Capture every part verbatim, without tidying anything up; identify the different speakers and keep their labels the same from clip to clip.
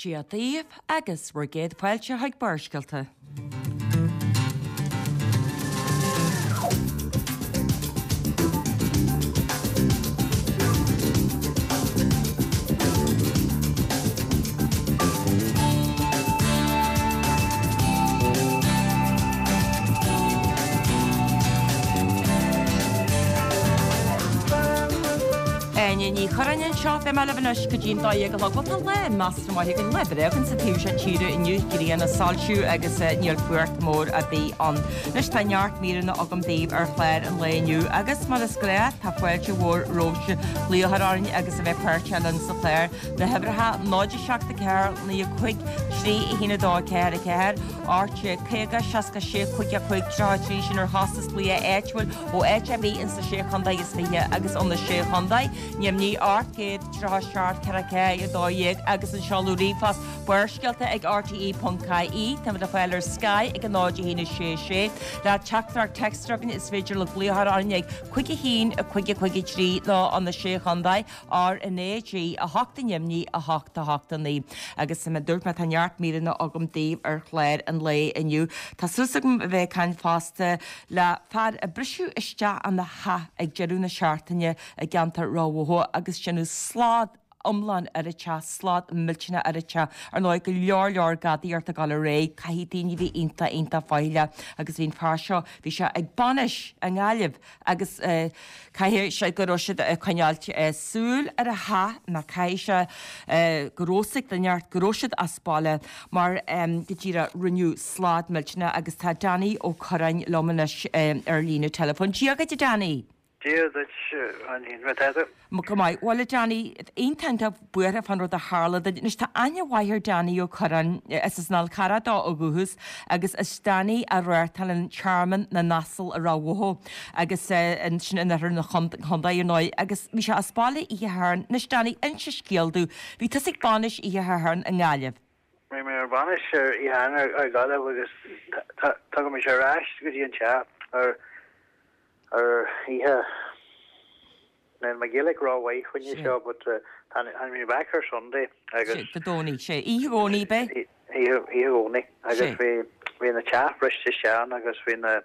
Speaker 1: Dia daoibh agus bhur gcéad fáilte chuig Barrscéalta. Áine Ní Churráin anseo, beidh mé libh anois go dtí an dó dhéag a chlog. Bhuel tá lá measartha maith againn, lá breá againn sa taobh seo tíre inniu, grian ag soilsiú agus níl fuacht mór ar bith ann. Anois tá neart míreanna agam daoibh ar chlár an lae inniu agus mar is gnáth tá fáilte mhór romhaibhse glaoch a chur orainn agus a bheith páirteach linn sa chlár. Na huimhreacha náid a seacht a ceathair naoi a cúig trí a haon a dó a ceathair a ceathair, ocht déag caoga seasca sé cúig a cúig tríocha a trí sin ar chostas glaoch áitiúil ó áit ar bith ins na Sé Chontae is Fiche agus ó na Sé Chontae. Neamhní ocht gcéad tríocha seacht ceithre ceathair a dó dhéag agus an seoladh ríomhphost Barrscéalta ag R T E ponc I E. Táimid le fáil ar Sky ag a náid a haon a sé sé. Le teachtaireacht téacs is féidir libh glaoch a chur orainn ag cúig a haon a cúig a cúig a trí nó ó na Sé Chontae R N A G a hocht a neamhní a hocht a hocht a naoi. Agus mar a dúirt mé tá neart míreanna agam daoibh ar chlár an lae inniu. Tá súil agam a bheith ag caint fosta le fear a briseadh isteach ina theach ag deireadh na seachtaine i gceantar Ráth Bhoth agus déanadh slad iomlán ar an teach, slad millteanach ar an teach. Ar ndóigh go leor leor gadaíocht ag dul ar aghaidh, caithfidh daoine bheith iontach iontach faichilleach agus bhí an fear seo, bhí sé ag bainis i nGaillimh agus caithfidh sé go raibh siad ag coinneáilt súil ar a theach nó caithfidh sé go raibh fhios ag duine inteacht go raibh siad as baile mar go díreach rinneadh slad millteanach agus tá Danny Ó Curráin liom anois ar líne teileafóin. Dia dhuit a Danny!
Speaker 2: Dia duit, Áine, conas tá tú?
Speaker 1: Go maith. Bhuel a Danny, iontach iontach buartha fán rud a tharla duit. Anois tá aithne mhaith ar Danny Ó Curráin, is as an Fhál Carrach dó ó dhúchas agus is Danny a reáchtálann Tearmann na nAsal i Ráth Bhoth agus sin in oirthear na chontae ar ndóigh agus bhí sé as baile oíche Shathairn. Anois Danny, inis an scéal domh. Bhí tusa ag bainis oíche Shathairn i nGaillimh.
Speaker 2: Bhí mé ar bainis ar oíche Shathairn i Gaillimh agus tagaimid ar ais go dtí an teach ar ar oíche Níl mo Ghaeilge rómhaith fá choinne seo but tháinig mé back ar Sunday agus.
Speaker 1: Sé, Dé Domhnaigh, sé. Oíche Dhomhnaigh, b'é?
Speaker 2: Oíche Dhomhnaigh agus bhí bhí na teach briste isteach ann agus bhí na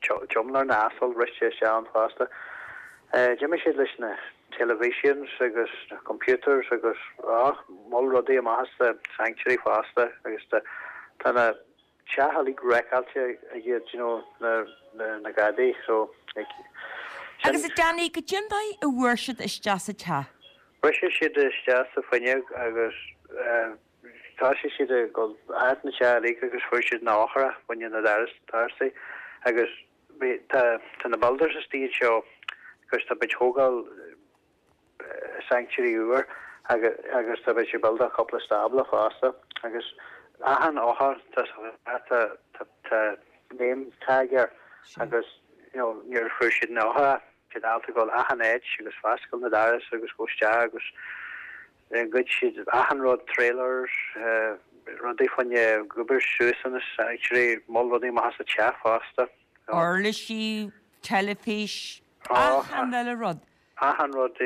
Speaker 2: tearmann na n-asal briste isteach ann fosta. D'imigh siad leis na televisions agus na computers agus ah moll rudaí amach as the sanctuary fosta agus tá na teach uilig wreck-áilte ag iad, you know, na, na, na gadaí, so, like,
Speaker 1: sin. Agus a Danny, goidé an dóigh a bhfuair siad isteach sa teach?
Speaker 2: Bhris siad isteach sa fuinneog agus eh, thosaigh siad ag dul thart na teach uilig agus fuair siad na eochracha fá choinne na doras, dorasaí agus bhí, tá, tá na builders istigh anseo agus tá muid thógáil sanctuary úr agus tá beidh siad build-áil cúpla stábla fosta agus achan eochair tá tá name tag air agus you know níor fuair siad na eochracha siad ábalta dul achan áit agus foscail na doras agus go isteach agus ghoid siad achan rud trailers rudaí fá choinne obair suas ina sanctuary moll rudaí amach as an teach fosta.
Speaker 1: Uirlisí, teilifís, achan uile rud.
Speaker 2: Achan rud,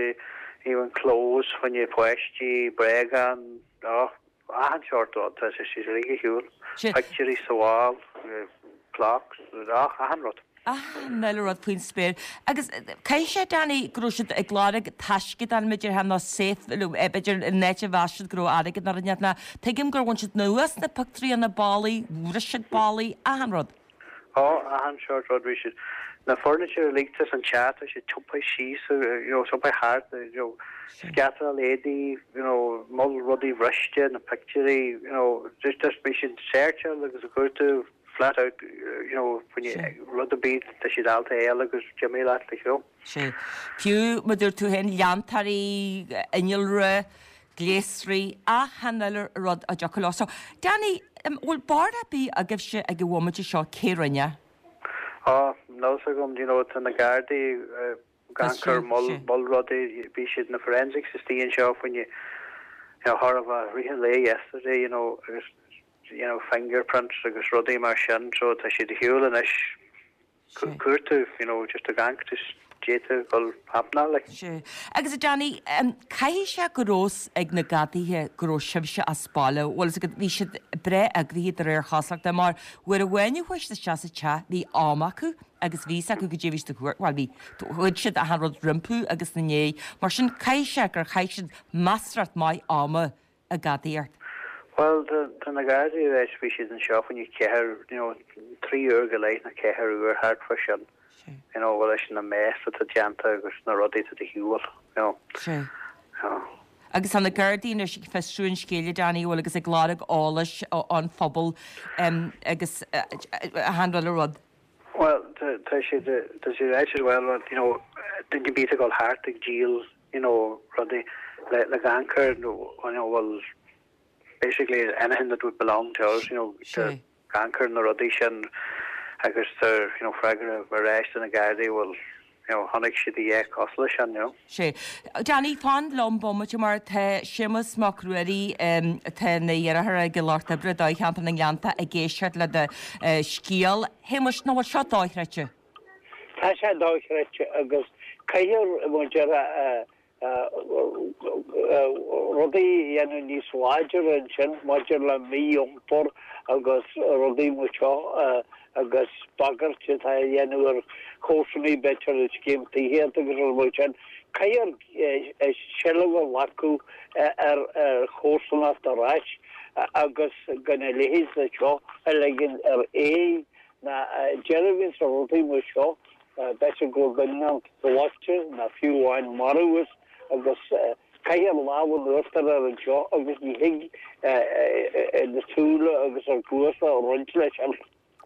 Speaker 2: even clothes fá choinne páistí, bréagáin, oh, achan seort rud, tá sé siad uilig ar shiúl. Pictiúirí sa bhall, clocks, oh, achan rud.
Speaker 1: Achan uile rud faoin spéir. Agus caithfidh sé, Danny, go raibh siad ag lorg taisce dá mb'fhéidir nó safe, b'fhéidir in áit a mheas siad go raibh airgead nó rud inteacht ná tuigim gur bhain siad anuas na pictiúirí ó na ballaí, bhris siad ballaí, achan rud.
Speaker 2: Ó, achan seort rud, bhí siad, na furniture uilig tá san teach, tá siad tiompaithe síos, you know, tiompaithe thart, you know, scatáil éadaí, you know, moll rudaí bhriste, na pictiúirí, you know, just, just bhí siad searcháil agus ag cuartú flat out, you know, rud ar bith, tá siad ábalta a fháil agus d'imigh leat, like, you know.
Speaker 1: Sea. Fiú, mar dúirt tú féin, leantóirí, innealra, gléasraí, achan uile rud a dtiocfadh leo. So, Danny, bhfuil barúil ar bith agaibhse ag an bhomaite seo cé rinne?
Speaker 2: Á, níl fhios agam, do you know, tá na Gardaí ag amharc ar moll, moll rudaí, bhí siad na forensics istigh anseo fá choinne, you know, chóir a bheith rith an lae yesterday, you know, agus, you know, fingerprints agus rudaí mar sin, so tá siad ar shiúl anois. Cuartú, you know, just ag amharc, just d'fhéadfadh dul happenáil like.
Speaker 1: Sea. Agus a Danny, caithfidh sé go raibh fhios ag na gadaithe go raibh sibhse as baile, bhfuil fhios agat, bhí siad breá eagraithe de réir chosúlachta mar uair amháin a chuaigh siad isteach sa teach bhí am acu agus bhí fhios acu goidé bhí siad a thabhairt, bhuel bhí, ghoid siad achan rud rompu agus ina ndiaidh, mar sin caithfidh sé gur chaith siad measartha maith ama ag gadaíocht.
Speaker 2: Bhuel, tá na Gardaí ar ais, bhí siad anseo fá choinne ceathair, you know, trí uair go leith nó ceathair uair thart fá sin. You know, bhuel leis na mess atá déanta agus na rudaí atá de shiúl, you know.
Speaker 1: Sea.
Speaker 2: You know.
Speaker 1: Agus tá na Gardaí anois ag fiosrú an scéil, a Danny, bhfuil agus ag lorg eolais ón phobal agus achan uile rud.
Speaker 2: Bhuel, tá siad, tá siad ráite as well, you know, duine ar bith ag dul thart ag díol, you know, rudaí le, le gan cur, nó, you know, bhuel, basically anything that would belong to us, you know,
Speaker 1: Sea.
Speaker 2: gan cur na rudaí sin agus tá, you know, freagra ar ais do na Gardaí, bhuel, you know, chonaic siad a dhath cosúil leis sin, you know.
Speaker 1: Sea. Danny, fan liom bomaite mar tá Séamus Mac Ruairí, atá ina dheartháir ag lucht oibre Dáilcheantar na nGleannta ag éisteacht le do scéal. Shéamuis, nach bhfuil seo dochreidte?
Speaker 3: Tá sé dochreidte agus caithfidh muid ar rudaí a dhéanamh níos láidre ansin maidir le mí-iompar agus rudaí mar seo agus bagairt atá á dhéanamh ar chomharsanaí b'fhéidir i scéim tithíochta agus rudaí mar sin. Caithfear seilbh a ghlacadh ar chomharsanacht ar ais agus gan a leithéid de seo a ligean ar aghaidh ná deireadh a bhíonn sa rudaí mar seo b'fhéidir go bhfuil duine gleoite ná fiú amháin marbh agus caithfear lámh in uachtar ar anseo agus ní thig na súile agus ar cluasa a roinnt leis an.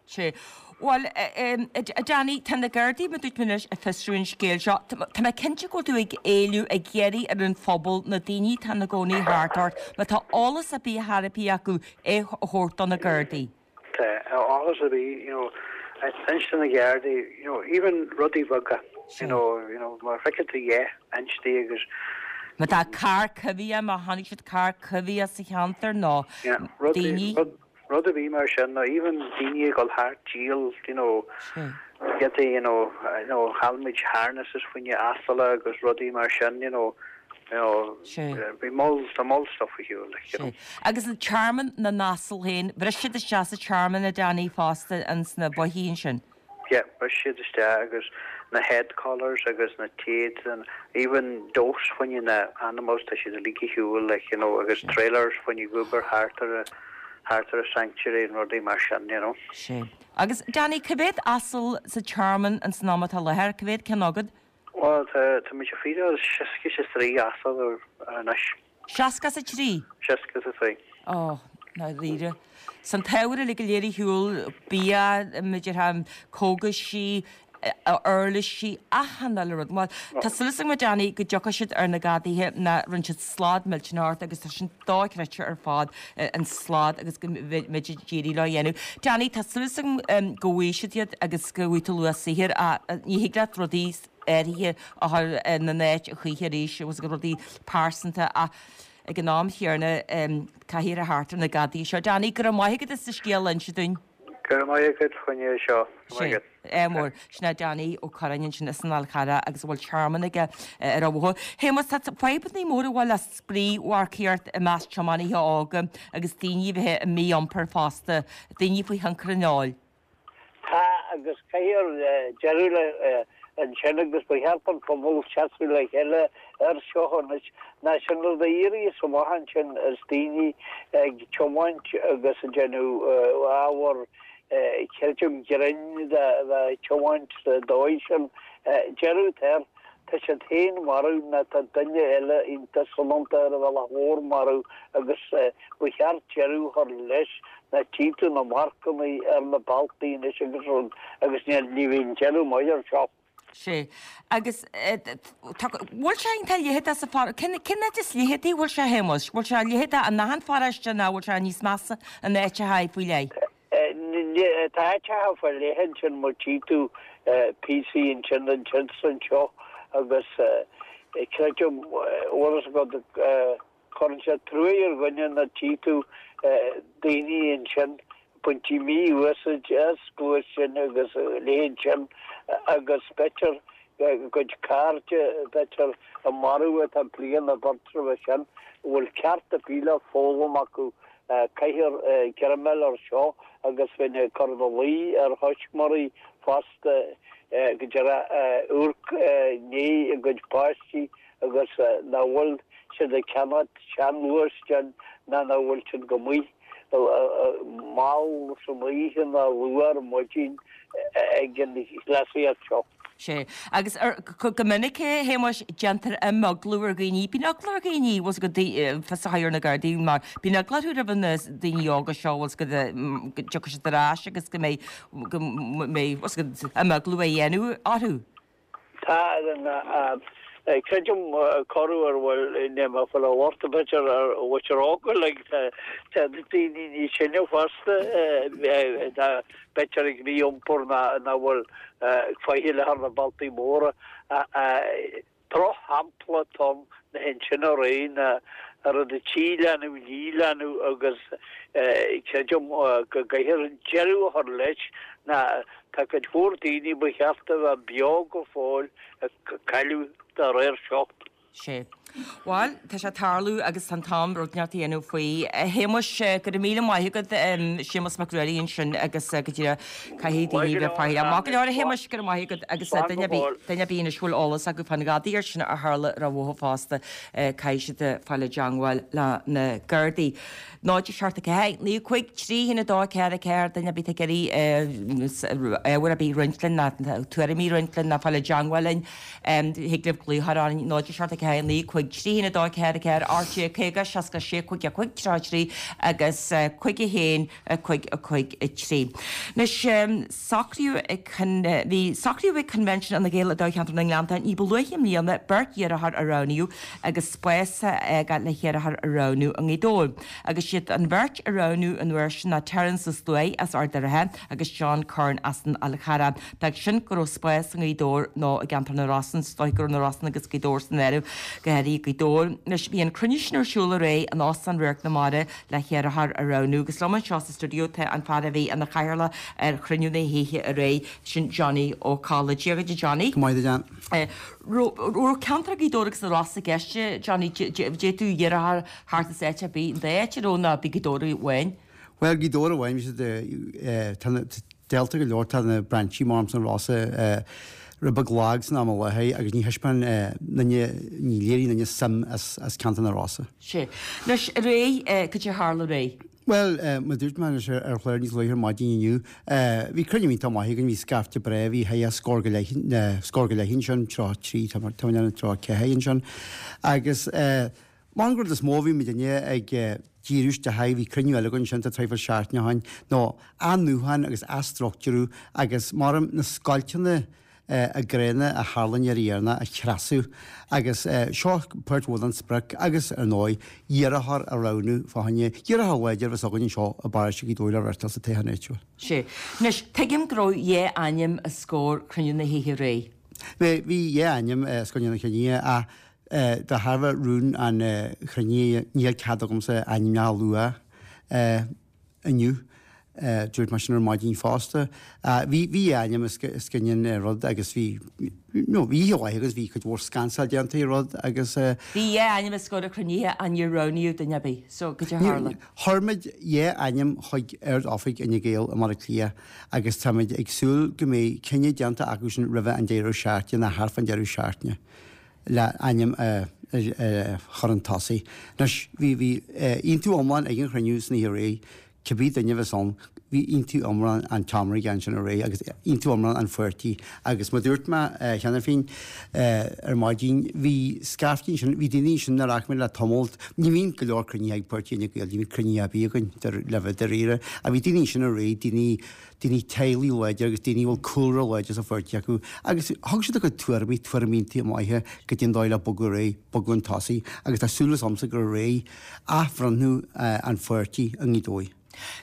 Speaker 1: Sea. Bhuel, a Danny, tá na Gardaí, mar dúirt mé anois, ag fiosrú an scéil seo. Tá mé cinnte go bhfuil tú ag éileamh, ag iarraidh ar an phobal, na daoine atá ina gcónaí thart ort, má tá eolas ar bith ar bith acu, é a thabhairt do na Gardaí.
Speaker 2: Tá eolas ar bith, you know, inis do na Gardaí, you know, even rudaí beaga, you know, you know, má fheiceann tú a dhath, inis di agus.
Speaker 1: Má tá carr coimhthíoch, má chonaic siad carr coimhthíoch sa cheantar nó daoine.
Speaker 2: Yeah, rud ar bith mar sin, nó even daoine ag dul thart díol, you know, giotaí, you know, you know, chaill muid harnesses fá choinne asail agus rudaí mar sin, you know, you know, bhí moll, tá moll stuff ar shiúl, like, you know.
Speaker 1: Agus an tearmann na n-asal féin, bhris siad isteach sa tearmann a Danny fosta ins na bothaí ansin.
Speaker 2: Yeah, bhris siad isteach agus na head collars agus na téid and even dose fá choinne na animals tá siad uilig ar shiúl like, you know, agus trailers fá choinne gobar thart ar a thart ar a sanctuary and rudaí mar sin, you know.
Speaker 1: Sea. Agus Danny, cá mhéad asal sa tearmann ins an am atá i láthair, cá mhéad ceann agat?
Speaker 2: Bhuel, tá tá muid ag feedáil seasca is a trí asal anois.
Speaker 1: Seasca is a trí?
Speaker 2: Seasca is a trí.
Speaker 1: Ó, dáiríre. 'S an t-ábhar uilig go léir ar shiúl, bia, b'fhéidir, cógaisí, uirlisí, achan uile rud. Bhuel, tá súil agam a Danny go dtiocfaidh siad ar na gadaithe ná rinne siad slad millteanach ort agus tá sin dochreidte ar fad, an slad agus go mbeidh siad ag iarraidh leo a dhéanamh. Danny, tá súil agam go bhfaighidh siad iad agus go bhfaighidh tú luach saothair ach ní thig leat rudaí áirithe a chur ina n-áit a choíche arís agus rudaí pearsanta ach ag an am chéanna caithfear a theacht ar na gadaí seo. Danny, go raibh maith agat as do scéal a inse dúinn.
Speaker 2: Go raibh maith agat fá choinne seo. Go raibh maith agat.
Speaker 1: Ádh mór. Sin é Danny Ó Curráin ansin as an Fhál Carrach agus a bhfuil tearmann aige ar an bhóthar. Shéamus, tá fadhbanna móra a bhfuil le spraoi-mharcaíocht i measc tiománaithe óga agus daoine a bheith i mí-iompar fosta, daoine faoi thionchar an óil.
Speaker 3: Tá, agus caithfear deireadh le ansin agus ba cheart don phobal seasamh le chéile air seo anois. Ná sin rud a éiríos amach ansin is daoine ag tiomáint agus ag déanamh ábhar creidim grinn de tiomáint sa dóigh sin. Deireadh atá air. Tá siad féin marbh ná tá duine eile iontach soineanta ar an bhealach mhór marbh agus ba cheart deireadh a chur leis ná tchí tú na marcanna ar na bealtaí anois agus rud agus ní ní bhíonn deireadh maith air seo.
Speaker 1: Sea. Agus tá, bhfuil sé iontach leitheadach sa phar, cén cén áit is leitheadaí a bhfuil sé a Shéamuis? Bhfuil sé leitheadach in achan pharóiste nó bhfuil sé níos measa in áiteacha faoi leith?
Speaker 3: Tá áiteacha faoi leith ansin mar tchí tú píosaí ansin ansin 's anseo agus creidim bhfuil fhios agat cuireann sé truaí ar dhuine nuair tchí tú daoine ansin baintí mí-úsáid as gluaisteáin agus a leithéid sin agus b'fhéidir a gcuid cairde b'fhéidir a maraíodh an bhliain nó beirt roimhe sin, a bhfuil ceart ar bith le foghlaim acu. Caithfear greim air seo agus bheinn ag cur ina luí ar thuismitheoirí fosta go díreach amharc i ndiaidh a gcuid páistí agus nach bhfuil siad ag ceannacht seanghluaisteáin ná nach bhfuil siad go maith mall san oíche ná luath ar maidin ag an chleasaíocht seo.
Speaker 1: Sea. Agus go minic, a Shéamuis, déantar imeaglú ar dhaoine. Bíonn eagla ar dhaoine, bhfuil 's agat, fios a chur ar na Gardaí mar bíonn eagla orthu roimh na daoine óga seo, bhfuil 's agat, go dtiocfaidh siad ar ais agus go mbeidh, go mbeidh, bhfuil 's agat, imeaglú á dhéanamh orthu.
Speaker 3: Tá, creidim corruair ar bhfuil níl mé ag fáil an locht b'fhéidir ar mhuintir óg like tá daoine níos sine fosta tá b'fhéidir ag mí-iompar ná nach bhfuil faichill ar na bealtaí móra. Drochshampla atá ann na hintinne araon a rud a trí leanbh ní leanbh agus creidim go gcaithfear deireadh a chur leis ná tá cuid mhór daoine ba cheart a bheith beo go fóill a cailleadh dá réir seo.
Speaker 1: Sea. Bhuel, tá sé ag tarlú agus tá an t-am rud inteacht a dhéanamh faoi. A Shéamuis, go raibh míle maith agat, Séamus Mac Ruairí ansin agus go díreach caithfidh daoine bheith faichilleach. Maith go leor a Shéamuis, go raibh maith agat agus duine ar bith, duine ar bith anois a bhfuil eolas acu fán ghadaíocht sin a tharla rompu fosta, caithfidh siad fáil i dteangmháil le na Gardaí. náid a seacht a ceathair, naoi a cúig, trí haon a dó a ceathair a ceathair, duine ar bith ag iarraidh ábhar ar bith a roinnt linn ná tuairimí a roinnt linn ná fáil i dteangmháil linn, thig libh glaoch orainn, náid a seacht a ceathair, naoi a cúig, trí haon a dó a ceathair a ceathair, ocht déag caoga, seasca sé, cúig a cúig, tríocha a trí agus cúig a haon, cúig a cúig a trí. Anois, socraíodh ag, bhí, socraíodh ag Convention Fhine Gael i dtoghcheantar na nGleannta ní ba luaithe i mbliana beirt iarrthóir a roghnaíodh agus spás a fhágáil le hiarrthóir a roghnú i nGaoth Dobhair. Agus siad an bheirt a roghnaíodh an uair sin ná Terence Ó Sluaighe as Ard an Rátha agus John Curran as an Fhál Charrach. D'fhág sin go raibh spás i nGaoth Dobhair nó i gceantar na Rosann, is dóigh go raibh na Rosann agus Gaoth Dobhair san áireamh, go háirithe Gaoth Dobhair. Anois bhí an cruinniú sin ar siúl aréir in Óstán Radharc na Mara le hiarrthóir a roghnú agus liom anseo sa stiúideo tá an fear a bhí ina chathaoirleach ar chruinniú na hoíche aréir, sin Johnny Ó Colla. Dia dhuit a Johnny.
Speaker 4: Go maith duit Ann.
Speaker 1: Raibh ceantar Ghaoth Dobhair agus na Rosann i gceist, Johnny, d'fhéadfadh iarrthóir theacht as áit ar bith, an dá áit, an raibh nó bhí Gaoth Dobhair amháin?
Speaker 4: Bhuel, Gaoth Dobhair amháin, bhí siad, tá na, dálta go leor, tá na brainsí mar sna Rosa rud beag lag san am i láthair agus ní thaispeáin duine, ní léirigh duine suim as, as ceantar na Rosa.
Speaker 1: Sea. Anois, aréir, cad é a tharla aréir?
Speaker 4: Bhuel, mar a dúirt mé anois ar chlár níos luaithe ar maidin inniu, bhí cruinniú iontach maith againn, bhí scaifte breá, bhí thart ar scór go leith, scór go leith ansin, tríocha trí, tá mé tá mé in ann tríocha ceathair ansin. Agus mar an rud is mó a bhí muidinne ag díriú isteach air, bhí cruinniú eile againn ansin tá traidhfil seachtaine ó shin, ná athnuachan agus athstruchtúrú agus mar na scoilteanna gránna a tharla an iarraidh dheireanach a thrasú agus seo páirt mhór den sprioc agus, ar ndóigh, iarrthóir a roghnú fá choinne iarrthóir láidir a bheas againn anseo i bparóiste Ghaoth Dobhair le reáchtáil sa toghchán áitiúil.
Speaker 1: Sea. Anois, tuigim go raibh dhá ainm os comhair chruinniú na hoíche aréir.
Speaker 4: Bhí, bhí dhá ainm os coinne an chruinnithe ach de thairbhe rún an chruinnithe níl cead agamsa ainmneacha a lua. inniu. Dúirt mé sin ar maidin fosta. Bhí bhí ainm os cionn an rud agus bhí no bhí oíche mhaith agus bhí cuid mhór scansáil déanta ar rud agus.
Speaker 1: Bhí dhá ainm os comhair an chruinnithe ach níor roghnaíodh duine ar bith. So cad é a tharla?
Speaker 4: Chuir muid dhá ainm chuig Ard-Oifig Fhine Gael i mBaile Átha Cliath agus táimid ag súil go mbeidh cinneadh déanta acu sin roimhe an deireadh seachtaine nó thart fán deireadh seachtaine le ainm a chur chun tosaigh. Anois bhí bhí aontú iomlán ag an chruinniú san oíche aréir Cibé duine a bheas ann, bhí aontú iomlán an tseomra ansin aréir agus aontú iomlán an pháirtí agus mar dúirt mé cheana féin ar maidin, bhí scaifte ansin, bhí daoine ansin nár fhaca mé le tamall, ní bhíonn go leor cruinnithe ag páirtí Fhine Gael, ní bhíonn cruinnithe ar bith againn le bheith dáiríre, ach bhí daoine ansin aréir, daoine, daoine teaghlaigh láidir agus daoine a bhfuil cúlra láidir sa pháirtí acu agus thug siad a gcuid tuairimí, tuairimí iontach maithe cad é an dóigh le bogadh ar aghaidh, bogadh chun tosaigh agus tá súil agamsa gur ar aghaidh athbhreithniú an pháirtí i nGaoth Dobhair.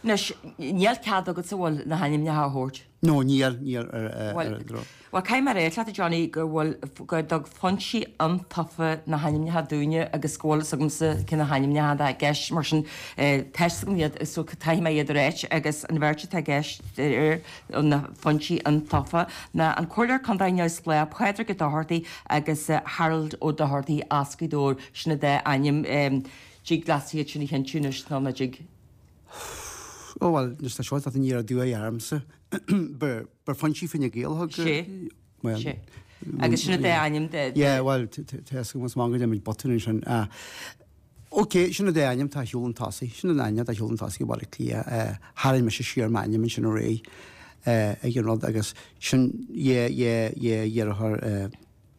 Speaker 1: Anois, níl cead agatsa bhfuil na hainmneacha a thabhairt?
Speaker 4: No, níl, níl ar ar an
Speaker 1: droch. Bhuel, caithfidh mé a rá leat, a Johnny, go bhfuil, go dtug foinsí iontaofa na hainmneacha dúinne agus go bhfuil fhios agamsa cé na hainmneacha atá i gceist, mar sin tá fhios agam iad so caithfidh mé iad a ráit agus an bheirt atá i gceist ar na foinsí iontaofa ná an Comhairleoir Contae neamhspleách Pádraig Ó Dochartaigh agus Harold Ó Dochartaigh as Gaoth Dobhair, sin an dá ainm. Dtig leatsa iad sin a chinntiú anois nó ná dtig?
Speaker 4: Ó bhuel, anois tá seo ag teacht aniar aduaidh ormsa. Ba foinsí Fine Gael a thug.
Speaker 1: Sé. Bhuel. Sé. Agus sin an dá ainm de.
Speaker 4: Yeah, bhuel, tá fhios agam is maith go ndéanaimid botún ansin. Ok, sin an dá ainm atá ar shiúl chun tosaigh. Sin an ainm atá ar shiúl chun tosaigh i Baile Átha Cliath. Tharraing mise siar m'ainm ansin aréir ag an rud agus sin yeah, yeah, yeah, dheartháir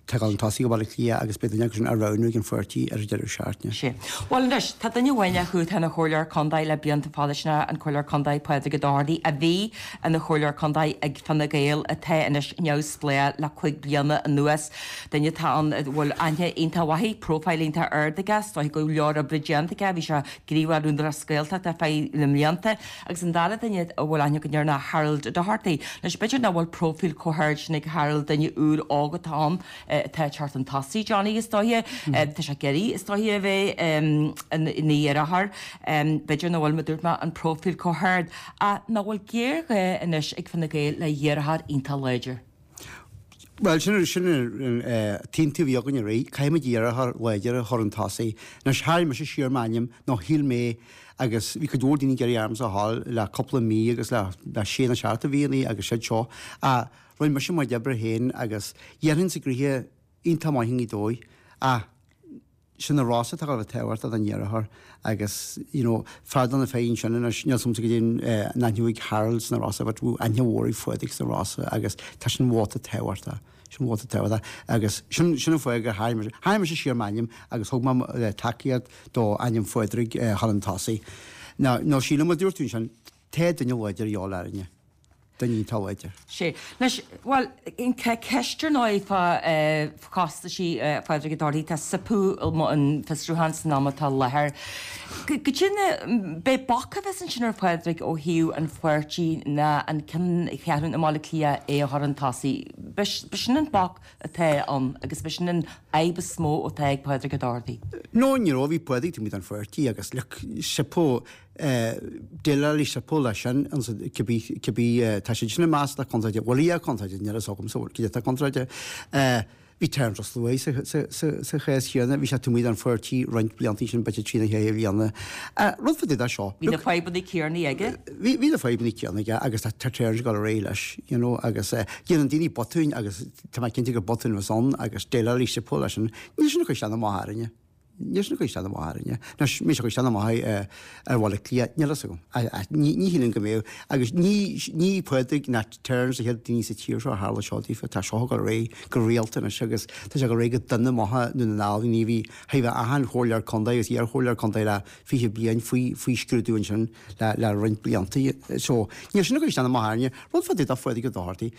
Speaker 4: Tá ag dul chun tosaigh i Baile Átha Cliath agus beidh duine acu sin á roghnú ag an pháirtí ar an deireadh seachtaine.
Speaker 1: Sea. Bhuel anois, tá duine amháin acu atá ina chomhairleoir contae le blianta fada, sin é an Comhairleoir Contae Pádraig Ó Dochartaigh, a bhí ina chomhairleoir contae ag Fine Gael, atá anois neamhspleách le cúig bliana anuas. Duine atá ann a bhfuil aithne iontach mhaith, profile iontach ard aige, is dóiche go leor oibre déanta aige, bhí sé gníomhach ar Údarás na Gaeltachta ar feadh na mblianta. Agus an dara duine a bhfuil aithne againn air ná Harold Doherty. Anois, b'fhéidir nach bhfuil próifíl chomh hard sin ag Harold, duine úr óg atá ann, atá ag teacht chun tosaigh, Johnny, is dóiche. Tá sé ag iarraidh, is dóiche, a bheith ina iarrthóir. B'fhéidir nach bhfuil, mar a dúirt mé, an próifíl chomh hard. Ach nach bhfuil géarghá anois ag Fine Gael le hiarrthóir iontach láidir?
Speaker 4: Bhuel, sin sin an t-aontú a bhí againn aréir. Caithfimid iarrthóir láidir a chur chun tosaigh. Anois, tharraing mise siar m'ainm nó shíl mé agus bhí cuid mhór daoine ag iarraidh ormsa a ghabháil le cúpla mí agus le le sé nó seacht de mhíonna agus siad seo. Ach rinne mise mo chuid oibre féin agus dhéanfainnse gnoithe iontach maith i nGaoth Dobhair. Ach sin na Rosa atá ag dul a bheith tábhachtach don iarrthóir agus you know fear de na fir ansin anois níl 's agamsa goidé an aithne ag Harold sna Rosa but bhí aithne mhór ag Phádraig sna Rosa agus tá sin vóta tábhachtach sin vóta tábhachtach agus sin sin an fáth gur tharraing mise tharraing mise siar m'ainm agus thug mé tacaíocht do ainm Phádraig chun an tosaigh. Now nó sílim a dúirt tú ansin tá duine láidir a dhíobháil orainne. Duine iontach láidir.
Speaker 1: Sea. Anois, bhuel, ceist ar ndóigh fá chostaisí Phádraig Ó Dochartaigh, tá ciapadh an fiosrúchán san am atá i láthair. Goidé na, b'é bac a bheas ansin ar Phádraig ó thaobh an pháirtí ná an ceanncheathrún i mBaile Átha Cliath é a chur chun tosaigh. B'shin an bac atá ann agus b'shin an fhadhb is mó atá ag Pádraig Ó Dochartaigh.
Speaker 4: No, ní raibh, bhí Pádraig taobh amuigh den pháirtí agus look, SIPO, déileáilfidh SIPO leis sin cibé, cibé, tá siad sin ag meas le contráilte, bhfuil a contráilte, níl a fhios agamsa cad é atá contráilte. Bhí Terence Ó Sluaighe sa, sa, sa, sa chás chéanna, bhí sé taobh amuigh den pháirtí roinnt blianta sin, b'fhéidir trí nó ceithre bliana. Rud fá dtaobh de seo.
Speaker 1: Bhí na fadhbanna céanna aige.
Speaker 4: Bhí, bhí na fadhbanna céanna aige agus tá, tá Terence ag dul ar aghaidh leis, you know, agus déanann daoine botúin agus tá mé cinnte gur botún a bheas ann agus déileálfaidh SIPO leis sin. Níl sin ag cur isteach ná amach orainne. Níl sin ag cur isteach ná amach orainne. Anois, an mbeidh sé ag cur isteach ná amach ar Bhaile Átha Cliath, níl a fhios agam. Ní, ní shílim go mbeadh. Agus ní, ní Pádraig ná Terence na chéad daoine sa tír seo a tharla seo daofa. Tá seo ag dul ar aghaidh go rialta anois agus tá sé ag dul ar aghaidh go dona amach i nDún na nGall. Ní bhí, bhí achan chomhairleoir contae agus iarchomhairleoir contae le fiche bliain faoi, faoi scrúdú ansin le, le roinnt blianta. So, níl sin ag cur isteach ná amach orainne. Rud fá dtaobh de Phádraig Ó Dochartaigh.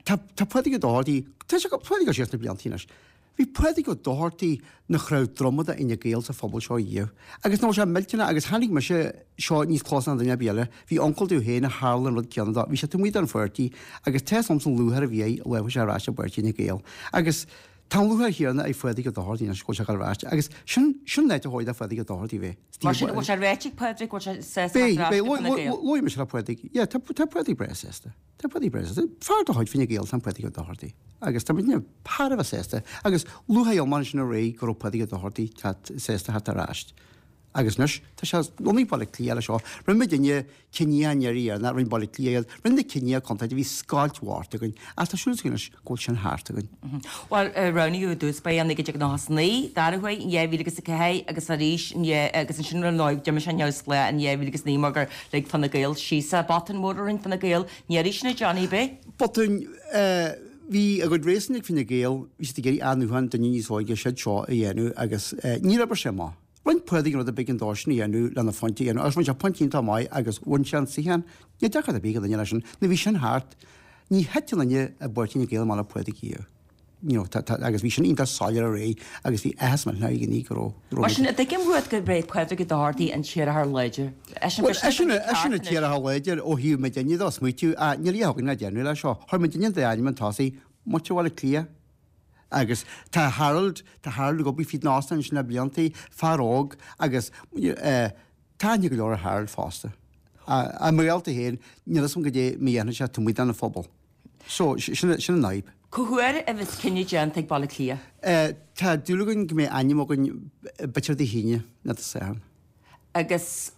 Speaker 4: Tá, tá Pádraig Ó Dochartaigh, tá sé, Pádraig ag dul siar sna blianta anois. Bhí Pádraig Ó Dochartaigh 'na chrann droma d'Fhine Gael sa phobal seo riamh. Agus nach bhfuil sé millteanach agus chonaic mise seo níos closa ná duine ar bith eile, bhí uncail domh féin a tharla an rud céanna dó, bhí sé taobh amuigh den pháirtí agus tá 'fhios a'msa an lúcháir a bhí air an lá a chuaigh sé ar ais i bpáirtí Fhine Gael. Agus tá an lúcháir chéanna ag Phádraig Ó Dochartaigh anois go bhfuil sé ag dul ar ais agus sin, sin an áit a chóir do Phádraig Ó Dochartaigh bheith.
Speaker 1: Mar sin, bhfuil sé réitithe ag Pádraig, bhfuil sé sásta
Speaker 4: Beidh,
Speaker 1: ar ais
Speaker 4: beidh,
Speaker 1: go Fine Gael?
Speaker 4: luaigh mise le Pádraig, yeah, tá, tá Pádraig breá sásta. Tá Pádraig breá sásta. Fear de chuid Fine Gael atá in Pádraig Ó Dochartaigh agus tá muidne thar a bheith sásta agus lúcháir iomlán ansin aréir go raibh Pádraig Ó Dochartaigh sásta theacht ar ais. Agus anois tá sé lonnaithe i Baile Átha Cliath leis seo. Rinne muidinne cinneadh an iarraidh dheireanach, rinne Baile Átha Cliath iad, rinne na cinneadh contae, bhí scoilt mhór againn ach tá súil againn anois go bhfuil sin thart againn.
Speaker 1: Bhuel, roghnaíodh i dtús báire i naoi déag nócha is a naoi, dara huair in dhá mhíle agus a ceathair agus arís in dhá agus ansin ar ndóigh d'imigh sé neamhspleách in dhá mhíle agus naoi mar gur lig Fine Gael síos é. Botún mór a rinne Fine Gael an iarraidh sin a Johnny, ab é?
Speaker 4: Botún, Bhí a gcuid réasún ag Fine Gael, bhí siad ag iarraidh athnuachan, duine níos óige, siad seo a dhéanamh agus níor oibrigh sé amach. Rinne Pádraig an rud ab éigean dósan a dhéanamh lena phointe a dhéanamh agus rinne sé pointe iontach maith agus bhain sé an suíochán. Níl deacracht ar bith ag duine leis sin. Nuair a bhí sin thart, ní thit aon duine i bpáirtí Fhine Gael amach le Pádraig riamh. you know, tá, tá, agus bhí sin iontach soiléir aréir agus bhí áthas millteanach ar dhaoine go raibh, go raibh
Speaker 1: Mar sin, an dtuigim uait gurb é Pádraig Ó Dochartaigh an t-iarrthóir láidir?
Speaker 4: Eisean, Bhuel, eisean, eisean an t-iarrthóir láidir ó thaobh muidinne de, smaoitiú, ah, níl a fhios againn le déanamh leis seo. Chuir muidinne an dá ainm chun tosaigh, muintir Bhaile Átha Cliath. Agus tá Harold, tá Harold ag obair fríd an óstán ansin le blianta, fear óg, agus eh, tá aithne go leor ar Harold fosta. I mo ghaolta féin, níl fhios agam goidé mar a dhéanfaidh sé taobh amuigh den phobal. So, sin an fhadhb.
Speaker 1: Cá huair a bheas cinneadh déanta ag Baile Átha Cliath?
Speaker 4: Tá dúil againn go mbeidh ainm againn b'fhéidir Dé hAoine nó Dé Sathairn.
Speaker 1: Agus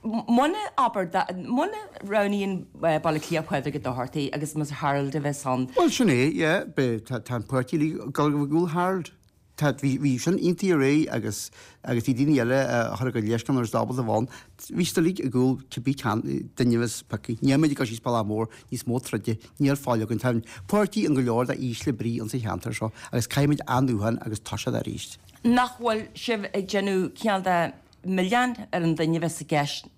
Speaker 1: muna, abair, muna roghnaíonn Baile Átha Cliath Pádraig Ó Dochartaigh agus más Harold a bheas ann.
Speaker 4: Bhuel, sin é, yeah, beidh, tá an páirtí uilig ag dul i gcúl Harold. Tá, bhí, bhí sin iontaithe aréir agus, agus bhí daoine eile a chuir a gcuid leithscéal nuair is ábalta a bheith ann. Bhí siad uilig i gcúl cibé ceann, duine a bheas pioctha. Níl muid ag dul síos bealach mór, níos mó troide, níl fáil againn. Tá an páirtí in go leor de ísle brí insa cheantar seo agus caithfimid athnuachan agus toiseacht arís.
Speaker 1: Nach bhfuil sibh ag déanamh cineál de milleán ar an duine a bheas i gceist?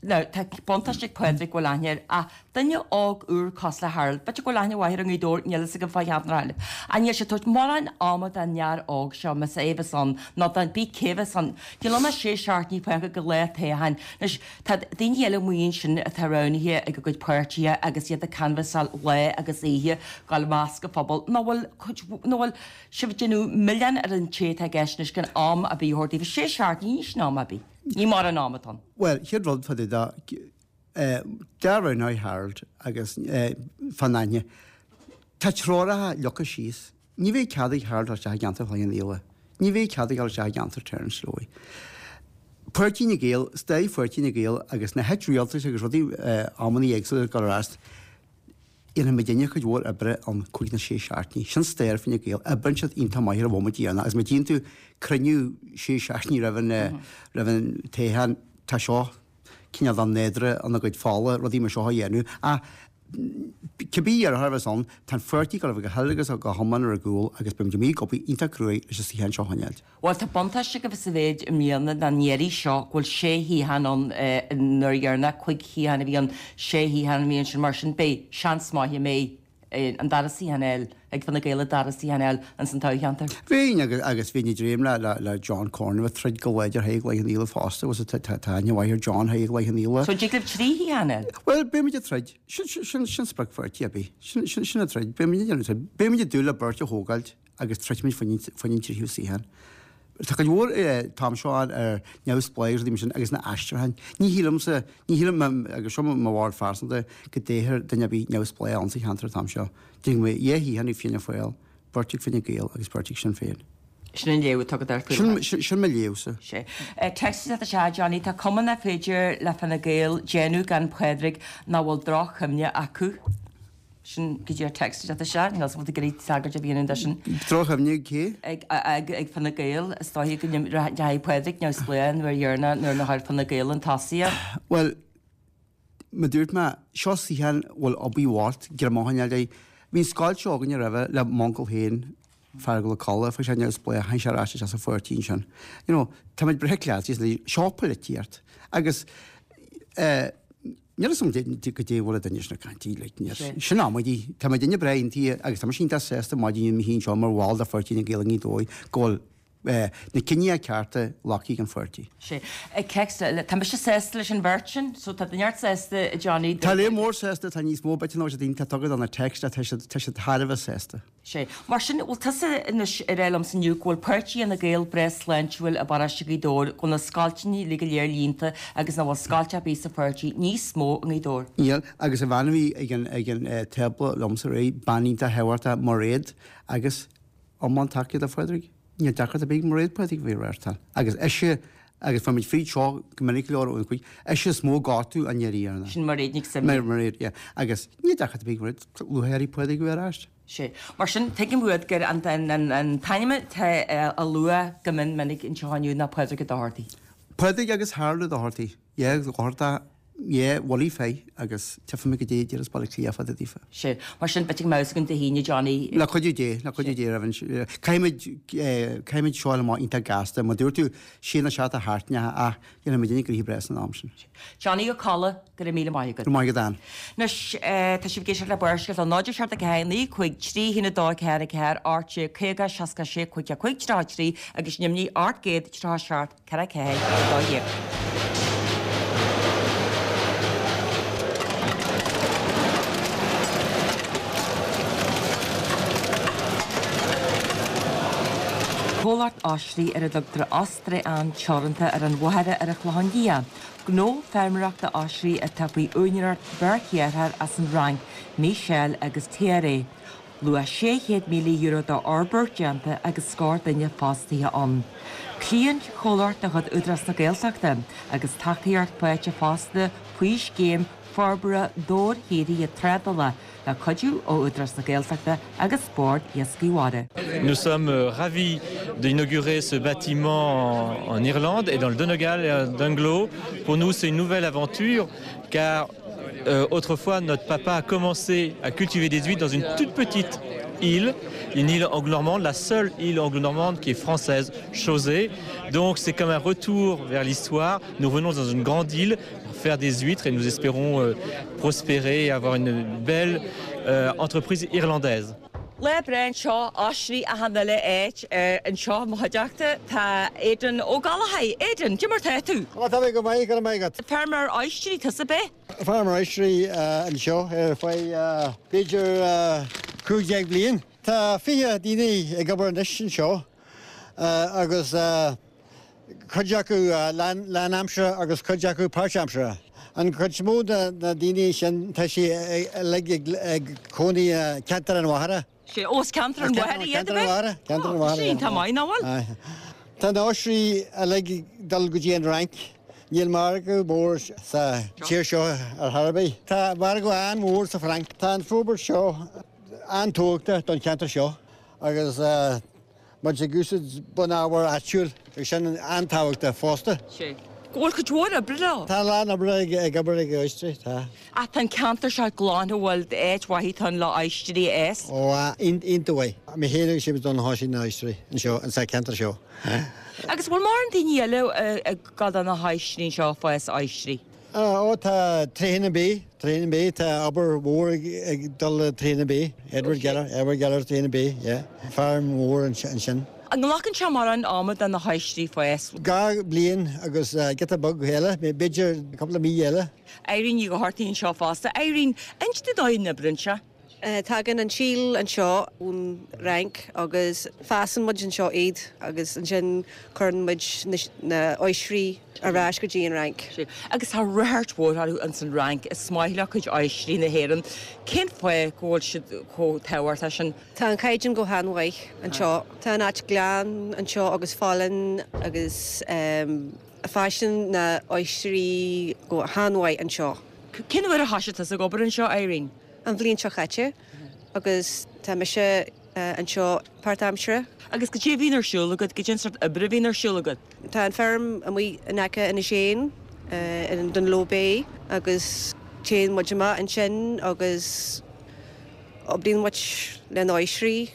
Speaker 1: Now, tá buntáiste ag Pádraig go bhfuil aithne air, ach duine óg úr cosúil le Harold, b'fhéidir go bhfuil aithne mhaith air i nGaoth Dobhair, níl fhios agam fá cheantar na Gaillimhe. Ach níl sé ag tabhairt mórán ama don fhear óg seo, más é a bheas ann, nó don bí cé bheas ann. Níl ann ach sé seachtainí fágtha go lá toghcháin. Anois, tá daoine eile amuigh ansin atá roghnaithe ag a gcuid páirtithe agus iad ag canbhasáil lá agus oíche, dul i measc an phobail, nach bhfuil cuid, nach bhfuil sibh ag déanamh milleán ar an té atá i gceist anois gan am ar bith a thabhairt daofa. Sé seachtainí, ní sin am ar bith. Ní mórán ama atá ann.
Speaker 4: Bhuel, chéad rud fá dtaobh de, dá roghnófaí Harold agus fán aithne, tá treoracha leagtha síos. Ní bheidh cead ag Harold dul isteach i gceantar Chloich Cheann Fhaola. Ní bheidh cead aige dul isteach i gceantar Terence Slowey. Páirtí Fhine Gael, staid Pháirtí Fhine Gael agus na háit rialtais agus rudaí amannaí éagsúla ag dul ar ais, Dhéanfaidh muidinne cuid mhór oibre ann cúig nó sé seachtainí. Sin stair Fine Gael. Oibríonn siad iontach maith ar an bhomaite dheireanach agus má tchíonn tú cruinniú sé seachtainí roimh an roimh an toghchán, tá seo cineál de nádúr ina gcuid fola, rudaí mar seo a dhéanamh. Ach cibé iarrthóir a bheas ann, tá an pháirtí ag dul a bheith go huile agus go hiomlán ar a gcúl agus beidh muid amuigh ag obair iontach cruaidh leis an suíochán seo a choinneáilt.
Speaker 1: Bhuel, tá buntáiste agaibh sa mhéid i mbliana ná an iarraidh seo go bhfuil sé shuíochán ann an uair dheireanach, cúig shuíochán a bhí ann, sé shuíochán an bhliain sin, mar sin beidh seans maith go mbeidh an dara suíochán a fháil ag Fine Gael an dara suíochán a fháil ins an toghcheantar.
Speaker 4: Bheinn agus agus bheinn ag dréim le le le John Corn a bheith troid go láidir thar Chloich Cheann Fhaola fosta agus tá tá tá aithne mhaith ar John thar Chloich Cheann Fhaola.
Speaker 1: So dtig libh trí shuíochán a fháil?
Speaker 4: Bhuel, beimid ag troid. Sin sin sin sin sprioc pháirtí ar bith. Sin sin sin an troid. Beimid ag déanamh troid. Beimid ag dúil le beirt a thógáilt. agus troidfimid fá choinne an tríú suíochán. Tá cuid mhór an t-am seo ann ar neamhspleáchas agus rudaí mar sin agus na aistriúcháin. Ní shílimse, ní shílim, agus seo mo bharúil phearsanta, go dtoghfar duine ar bith neamhspleách ann sa cheantar an t-am seo. Déarfainn go mbeidh dhá shuíochán ag Fianna Fáil, beirt ag Fine Gael agus beirt ag Sinn Féin.
Speaker 1: Sin an léamh atá agat air faoi láthair.
Speaker 4: Sin, sin mo léamhsa.
Speaker 1: Sea. Text isteach, Johnny, tá cuma nach féidir le Fine Gael déanamh gan Pádraig nach bhfuil droch-chuimhne acu. Sin go dtí ar text isteach isteach, níl 's agam an bhfuil tú ag iarraidh tagairt a dhéanamh de sin.
Speaker 4: Droch-chuimhne ag cé?
Speaker 1: Ag, ag, ag Fine Gael, is dóiche go ndeachaigh Pádraig neamhspleách an uair dheireanach nuair nach raibh Fine Gael chun tosaigh.
Speaker 4: Bhuel, mar dúirt mé, seo suíochán a bhfuil obair bhocht, greim a choinneáil air. Bhí an scoilt seo againne roimhe le m'uncail féin, Feargal Ó Colla, fuair sé neamhspleách, tháinig sé ar ais isteach sa pháirtí ansin. You know, táimid breá cleasaithe, seo polaitíocht. Agus, eh, Níl fhios agam goidé a bhfuil an duine sin ag caint like níor sin amaidí. Tá muidinne breá aontaithe agus tá mise iontach sásta maidin inniu mé féin seo mar bhall de Pháirtí Fhine Gael i nGaoth Dobhair go bhfuil na cinntí cearta glactha ag an pháirtí.
Speaker 1: Sea. Text eile. Tá mise sásta leis an bheirt sin, so tá neart sásta, a Johnny.
Speaker 4: Tá lear mór sásta, tá níos mó b'fhéidir ná daoine atá tugtha do na text tá siad tá siad thar a bheith sásta.
Speaker 1: Sea. Mar sin, bhfuil tusa anois ag rá liomsa inniu go bhfuil Páirtí Fhine Gael breá sláintiúil i bparóiste Ghaoth Dobhair, go bhfuil na scoilteanna uilig go léir líonta agus nach bhfuil scoilt ar bith sa pháirtí níos mó i nGaoth Dobhair?
Speaker 4: Níl, agus an bhean a bhí ag an ag an tábla liomsa aréir, bean iontach thábhachtach, Mairéad, agus iomlán tacaíocht do Phádraig. Níl deacracht ar bith ag Mairéad Pádraig a bheith ar reáchtáil. Agus ise, agus fuair muid fríd seo go minic go leor ó an chuid, ise is mó gortú an iarraidh dheireanach.
Speaker 1: Sin Mairéad Nic Suibhne.
Speaker 4: Mairéad, yeah. Agus níl deacracht ar bith ag Mairéad, lúcháir uirthi Pádraig a bheith ar ais.
Speaker 1: Sea. Mar sin, tuigim uait gur an t-ainm atá á lua go mion minic anseo inniu ná Pádraig Ó Dochartaigh.
Speaker 4: Pádraig agus Harold Ó Dochartaigh. Yeah, Dochartach, Yeah, bhullaí fé agus tchífimid goidé a déarfas Baile Átha Cliath fá dtaobh daofa.
Speaker 1: Sea. Mar sin, beidh mouse againn Dé hAoine, Johnny.
Speaker 4: Le cuidiú Dé, le cuidiú Dé, Reverend. Caithfimid, caithfimid seo a fháil amach iontach gasta. Mar dúirt tú, sé nó seacht a sheachtain ach déanfaimid aon ghnóthaí breá san am sin.
Speaker 1: Johnny Ó Colla, go raibh míle maith agat.
Speaker 4: Go raibh maith agat, Ann.
Speaker 1: Anois, tá sibh ag éisteacht le Barrscéalta, náid a seacht a ceathair naoi cúig trí haon a dó ceathair a ceathair ocht déag caoga seasca a sé cúig a cúig tríocha a trí agus ainmnigh ocht gcéad tríocha a seacht ceathair ceathair a dó dhéag. Comhlacht oisrí ar a dtugtar Ostray-Ann Teoranta ar an Mhachaire ar an Chlochán Liath. Gnó feirmeoireachta oisrí atá faoi úinéireacht beirt dheartháir as an Fhrainc, Michel agus Thierry. Luach sé chéad míle euro d'fhorbairt déanta agus scór duine fostaithe ann. Cliant chomhlacht de chuid Údarás na Gaeltachta agus tacaíocht faighte fosta faoi scéim forbartha dobharshaothraithe trádála le cuidiú ó Údarás na Gaeltachta agus Bord Iascaigh Mhara.
Speaker 5: Nous sommes ravis d'inaugurer ce bâtiment en, en Irlande et dans le Donegal et à Dungloe. Pour nous, c'est une nouvelle aventure car euh, autrefois, notre papa a commencé à cultiver des huîtres dans une toute petite île, une île anglo-normande, la seule île anglo-normande qui est française, Chausey. Donc c'est comme un retour vers l'histoire. Nous revenons dans une grande île pour faire des huîtres et nous espérons euh, prospérer et avoir une belle euh, entreprise irlandaise.
Speaker 1: Lá breá anseo oisrí achan uile áit anseo i mo chuideachta tá Aidan Ó Gallchóir. Aidan, cad é mar tá tú?
Speaker 6: Tá tá mé go maith go maith agat.
Speaker 1: Feirmeoir oisrí tusa ab ea?
Speaker 6: Feirmeoir oisrí anseo ar feadh b'fhéidir cúig déag bliain. Tá fiche daoine ag obair anois anseo agus cuid acu lánaimseartha agus cuid acu páirtaimseartha. An chuid is mó de na daoine sin tá sí uilig ag cónaí ceantar an Mhachaire.
Speaker 1: Sé os ceantar an Mhachaire iad ab ea?
Speaker 6: Ceantar an Mhachaire.
Speaker 1: Sin tá maith nach bhfuil?
Speaker 6: Tá na oisrí uilig ag dul go dtí an Fhrainc. Níl margadh mór sa tír seo ar chor ar bith. Tá margadh an-mhór sa Fhrainc. Tá an forbairt seo an-tábhachtach don cheantar seo agus muid ag úsáid bunábhar áitiúil agus sin an-tábhachtach fosta.
Speaker 1: Sé. Go bhfuil cuid mhór oibre leo?
Speaker 6: Tá a lán oibre ag obair ag oistrí, tá.
Speaker 1: Ach tá an ceantar seo glan an bhfuil áit mhaith ann le oistrí a fhás?
Speaker 6: Ó, iontach mhaith. Mé féin agus Séamus Dunne a thosaigh na hoistrí anseo, sa cheantar seo.
Speaker 1: Agus bhfuil mórán daoine eile ag gabháil do na hoistrí anseo, ag fás oistrí?
Speaker 6: Ó, tá Tréan Bay, Tréan Bay, tá obair mhór ag dul le Tréan Bay, Edward Geller, Edward Geller Tréan Bay, yeah. Feirm mhór ansin.
Speaker 1: An nglacann sé mórán ama do na hoistrí fás?
Speaker 6: Dhá bhliain agus giota beag eile, b'fhéidir cúpla mí eile.
Speaker 1: Irene Ní Dhochartaigh anseo fosta. Irene, inis dúinn dóigh na n-oibreann sé.
Speaker 7: Tagann an síol anseo ón Fhrainc agus fásann muid anseo iad agus ansin cuireann muid na oisrí ar ais go dtí an Fhrainc.
Speaker 1: Agus tá ráchairt mhór orthu ins an Fhrainc, is maith leo cuid oisrí na hÉireann. Cén fáth go bhfuil siad chomh tábhachtach sin?
Speaker 7: Tá an caighdeán go han-mhaith anseo. Tá an áit glan anseo agus folláin agus fásann na oisrí go han-mhaith anseo.
Speaker 1: Cén uair a thosaigh tusa ag obair anseo, Irene?
Speaker 7: An bhliain seo caite agus tá mise anseo páirtaimseartha.
Speaker 1: Agus cad é a bhíonn ar siúl agat, cad é an sórt oibre a bhíonn ar siúl agat?
Speaker 7: Tá an feirm amuigh in aice Inis Éan in Dunloe Bay agus téann muid amach ansin agus oibríonn muid le na hoisrí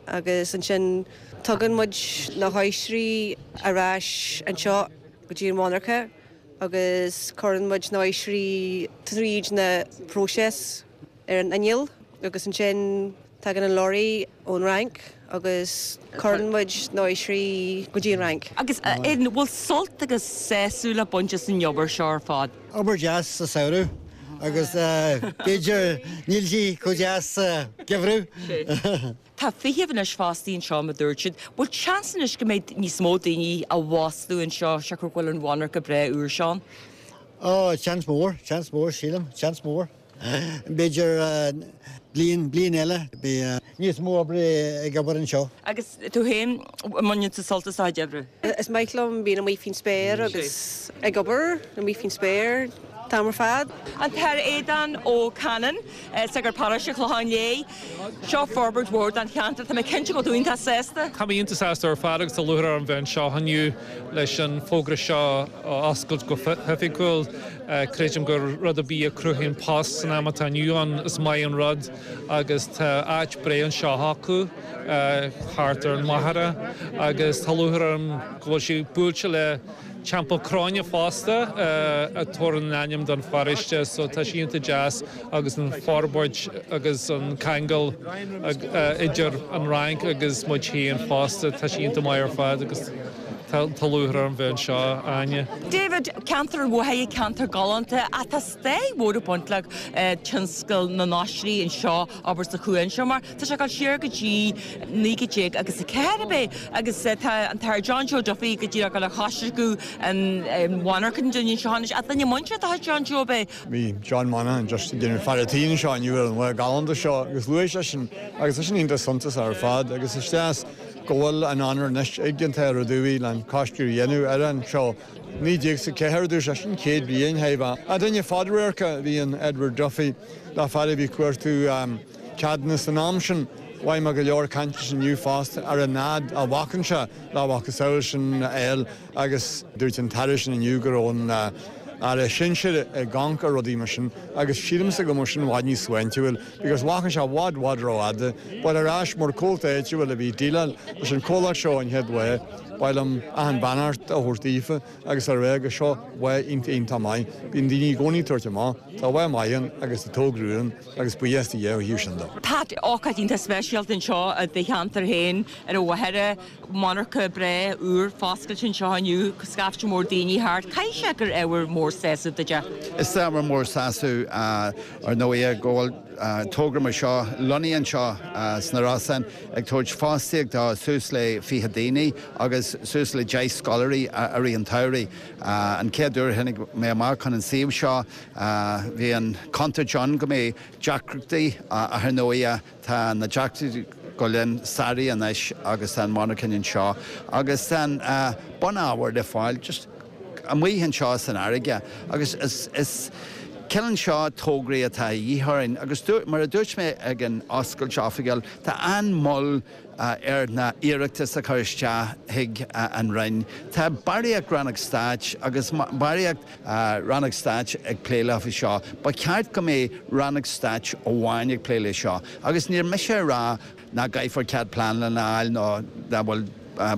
Speaker 7: agus ansin tugann muid na hoisrí ar ais anseo go dtí an mhonarcha agus cuireann muid na hoisrí tríd na próiseas ar an inneall agus ansin tagann an lorry ón Fhrainc agus cuireann muid na hoisrí go dtí an Fhrainc.
Speaker 1: Agus an bhfuil sult agus sásamh le baint as an obair seo ar fad?
Speaker 6: Obair deas sa samhradh agus b'fhéidir níl sí chomh deas sa gheimhreadh.
Speaker 1: Tá fiche anois fostaí anseo mar dúirt siad. Bhfuil seans anois go mbeidh níos mó daoine á bhfostú anseo siocair go bhfuil an mhonarcha breá úr seo ann?
Speaker 6: Ó, seans mór, seans mór, sílim, seans mór. B'fhéidir bliain, bliain eile, beidh níos mó oibre ag obair anseo.
Speaker 1: Agus tú féin, an mbaineann tú sult as do chuid oibre?
Speaker 7: Is maith liom bíonn amuigh faoin spéir agus ag obair amuigh faoin spéir. T-am ar fad.
Speaker 1: An tAthair Aodán Ó Canainn, Sagart Paróiste Clochán Léith, seo forbairt mhór don cheantar, tá mé cinnte go bhfuil tú iontach sásta.
Speaker 8: Tá mé iontach sásta ar fad agus tá lúcháir orm bheith anseo inniu leis an fógra seo a oscailt go hoifigiúil. Creidim gur rud ar bith a chruthaíonn post san am atá inniu ann is maith an rud agus tá áit breá anseo acu thart ar an Mhachaire agus tá lúcháir orm go bhfuil sé buailte le Teampall Cróine fosta a tabharann an ainm don pharóiste, so tá sé iontach deas agus an forbairt agus an ceangal idir an Fhrainc agus muid féin fosta, tá sé iontach maith ar fad agus tá lúcháir orm bheith anseo, Áine.
Speaker 1: David, ceantar an Mhachaire, ceantar galánta, ach tá stair mhór ag baint le tionscal na n-oisrí anseo, abair sa chuan seo, mar tá sé ag dul siar go dtí naoi gcéad déag agus a ceathair ab é agus tá an tAthair John Joe Duffy go díreach le choisriceadh an mhonarchan dúinn anseo anois, ach duine muinteartha de chuid John Joe ab é.
Speaker 6: Bhí John Monaghan just ag déanamh faire tí anseo inniu ar an lá galánta seo agus luaigh seisean agus tá sin iontach suntasach ar fad agus is deas go bhfuil an onóir anois ag an tAthair Ó Dubhthaigh le an coisceadh a dhéanamh ar an seo. Naoi déag is a ceathair a dúirt seisean, céad bliain thaobh a duine fadradhairc a bhí in Edward Duffy le fear a bhí ag cuartú ceadúnas san am sin. Mhaith mé go leor cainte inniu fosta ar an fhad a bhacann sé le macasamhail sin a fháil agus dúirt an tAire sin inniu go raibh an Aire Sinsir ag amharc ar rudaí mar sin agus sílimse go mbeadh sin i bhfad níos sláintiúil because bhacann sé i bhfad bhfad rófhada but ar ais mar comhalta áitiúil a bhí ag déileáil leis an comhlacht seo an chéad lá ba mhaith liom achan beannacht a thabhairt daofa agus a rá go seo lá iontach iontach maith. Bíonn daoine i gcónaí ag tabhairt amach, tá lá maith ann agus tá togra ann agus buíochas do Dhia ó thaobh sin de.
Speaker 1: Pat, ócáid iontach speisialta anseo i do cheantar féin ar an Mhachaire, monarcha breá úr foscailte anseo inniu, scaifte mór daoine thart. Caithfidh sé gur ábhar mór sásaimh duit é?
Speaker 9: Is ábhar mór sásamh ar ndóigh go bhfuil togra mar seo lonnaithe anseo sna Rosann ag tabhairt fostaíocht do suas le fiche daoine agus suas le deich scoláirí i rith an tsamhraidh. An chéad uair a tháinig mé amach chun an suíomh seo bhí an chontúirt ann go mbeidh deacrachtaí ach ar ndóigh tá na deacrachtaí go léir sáraithe anois agus tá an mhonarcha anseo agus tá an bunábhar le fáil just amuigh anseo san fharraige agus is is cineál seo tograí atá a dhíth orainn agus mar a dúirt mé ag an oscailt oifigiúil tá an-mhoill ar na hiarratais a chur isteach chuig an Roinn. Tá barraíocht rannóg stáit agus barraíocht rannóg stáit ag plé le seo. Ba cheart go mbeadh rannóg stáit amháin ag plé le seo. Agus níl mise ag rá nach gcaithfear cead pleanála a fháil nó nach bhfuil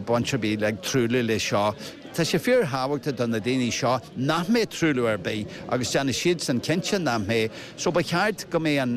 Speaker 9: baint ar bith le truailliú le seo. Tá sé fíorthábhachtach do na daoine seo nach mbeidh truailliú ar bith agus déanfaidh siadsan cinnte nach mbeidh, so ba cheart go mbeidh an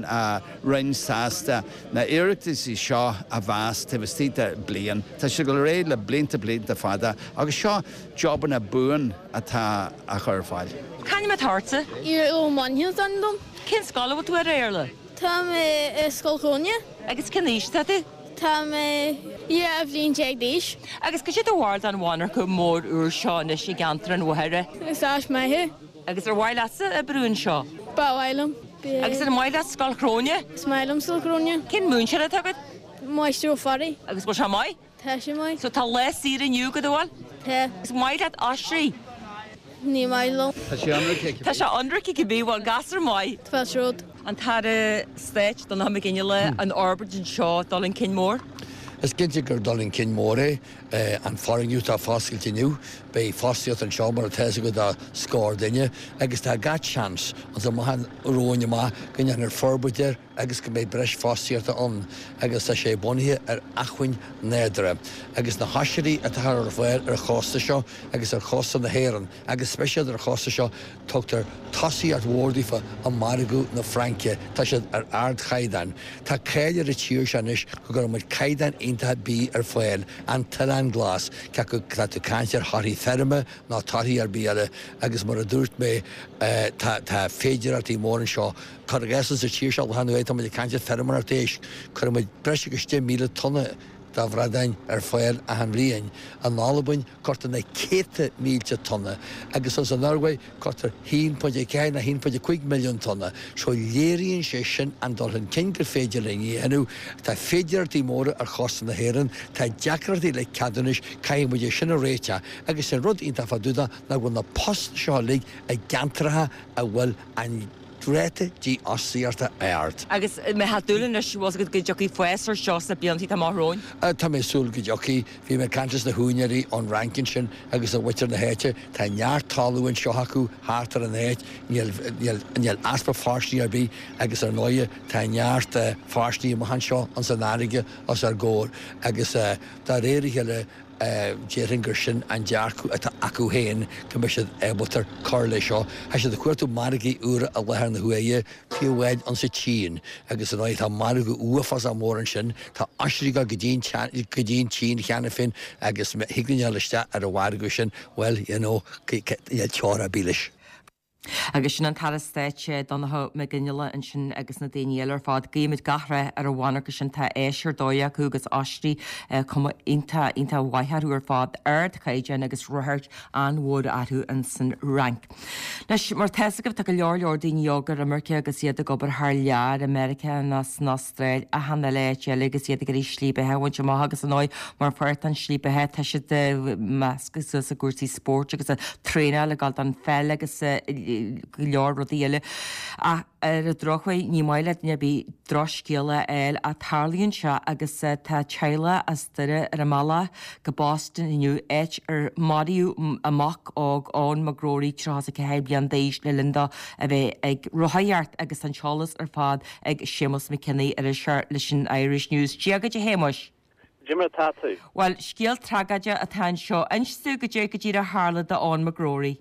Speaker 9: Roinn sásta na hiarrataisí seo a mheas taobh istigh de bliain. Tá sé ag dul ar aghaidh le blianta blianta fada agus seo jobanna buan atá á chur ar fáil.
Speaker 1: C'ainm atá ortsa?
Speaker 10: Iarla Ó Mainnín is ainm dom.
Speaker 1: Cén scoil a bhfuil tú air, a Iarla?
Speaker 10: Tá mé i Scoil Chróine.
Speaker 1: Agus cén aois atá tú?
Speaker 10: Tá mé dhá bhliain déag d'aois.
Speaker 1: Agus cad é do bharúil den mhonarcha mór úr seo anois i gceantar an Mhachaire?
Speaker 10: Is áis maith é.
Speaker 1: Agus ar mhaith leatsa oibriú anseo?
Speaker 10: Ba mhaith liom.
Speaker 1: Agus an maith leat Scoil Chróine?
Speaker 10: Is maith liom Scoil Chróine.
Speaker 1: Cén múinteoir atá agat?
Speaker 10: Máistir Ó Fearraigh.
Speaker 1: Agus bhfuil sé maith?
Speaker 10: Tá sé maith.
Speaker 1: So tá lá saor inniu agat, an bhfuil?
Speaker 10: Tá.
Speaker 1: Is maith leat oisrí?
Speaker 10: Ní maith liom.
Speaker 9: Tá sé ionraic.
Speaker 1: Tá sé ionraic cibé, bhuel gasúr maith.
Speaker 10: Tá rud.
Speaker 1: An tAire Stáit Donncha Mac Fhionnghaile, an fhorbairt anseo, dul chun cinn mór?
Speaker 11: Is cinnte gur dul chun cinn mór é an foirgneamh atá foscailte inniu. Beidh fostaíocht anseo mar atá agat do scór duine agus tá gach seans an amach romhainn amach go ndéanfar forbairt air agus go mbeidh breis fostaíochta ann agus tá sé bunaithe ar acmhainn nádúrtha agus na hoisrí atá ar fáil ar chósta seo agus ar chósta na hÉireann agus speisialta ar chósta seo tugtar tosaíocht mhór daofa i margadh na Fraince. Tá siad ar ardchaighdeán. Tá cáil ar an tír seo anois go gcuireann muid caighdeán iontach bídh ar fáil, an tOileán Glas, cé acu tá tú ag caint ar thorthaí feirme nó torthaí ar bith eile agus mar a dúirt mé tá tá féidearthachtaí móra anseo. Cuir i gcás sa tír seo le hAnn tá muid ag caint ar feirmeoireacht éisc, cuireann muid breis agus deich míle tonna de bhradáin ar fáil achan bhliain. In Albain cuirtear na céadta mílte tonna agus as an Norway cuirtear haon pointe a ceathair nó haon pointe a cúig milliún tonna. So léiríonn sé sin an dul chun cinn gur féidir linn a dhéanamh. Tá féidearthachtaí móra ar chósta na hÉireann, tá deacrachtaí le ceadúnais, caithfidh muid é sin a réiteach. Agus an rud iontach fá dtaobh de ná go bhfuil na postanna seo uilig i gceantracha a bhfuil an ráta dífhostaíochta ard.
Speaker 1: Agus an mbeifeá ag dúil anois bhfuil go dtiocfaidh fás ar seo sna blianta atá amach romhainn?
Speaker 11: Tá mé ag súil go dtiocfaidh. Bhí mé ag caint leis na húinéirí ón Fhrainc ansin agus le muintir na háite. Tá neart talamh anseo acu thart ar an áit, níl níl easpa fáistí ar bith agus ar ndóighe tá neart fáistí amach anseo ins an fharraige os ár gcomhair agus dá réir a chéile déarfainn gur sin an dearcadh atá acu féin go mbeidh siad ábalta cur leis seo. Tá siad ag cuartú margaí úra i láthair na huaire, fiú amháin an sa tSín agus ar ndóigh tá margadh uafásach mór ansin, tá oisrí go dtí go dtí an tSín cheana féin agus thig linn dul isteach ar an mhargadh sin, well, you know, níl teora ar bith leis.
Speaker 1: Agus sin an tAire Stáit Donnchadh Mac Fhionnghaile ansin agus na daoine eile ar fad. Guímid gach rath ar an mhonarcha sin tá áis ar dóigh acu agus oisrí cuma iontach iontach mhaith orthu ar fad ardchaighdeán agus ráchairt an-mhór orthu in san Fhrainc. Anois mar tá a fhios agaibh tá go leor leor daoine óga ar imirce agus iad ag obair thar lear i Meiriceá nó san Astráil achan eile áit eile agus iad ag iarraidh slí beatha a bhaint amach agus ar ndóigh mar pháirt den slí beatha tá siad measctha suas i gcúrsaí spóirt agus traenáil ag dul don pheil agus go leor rudaí eile. Ach ar an drochuair ní maith le duine ar bith drochscéal a fháil ach tarlaíonn sé agus tá teaghlach as Doire ar a mbealach go Boston inniu áit ar maraíodh a mac óg Eoin McGrory tríocha ceathair bliain d'aois le linn dó a bheith ag rothaíocht agus an t-eolas ar fad ag Séamus McKinney ar seo leis an Irish News. Dia duit a Shéamuis.
Speaker 12: Cad é mar atá tú.
Speaker 1: Well, scéal tragóideach atá anseo inis dúinn cad é go díreach a tharla d'Eoin McGrory.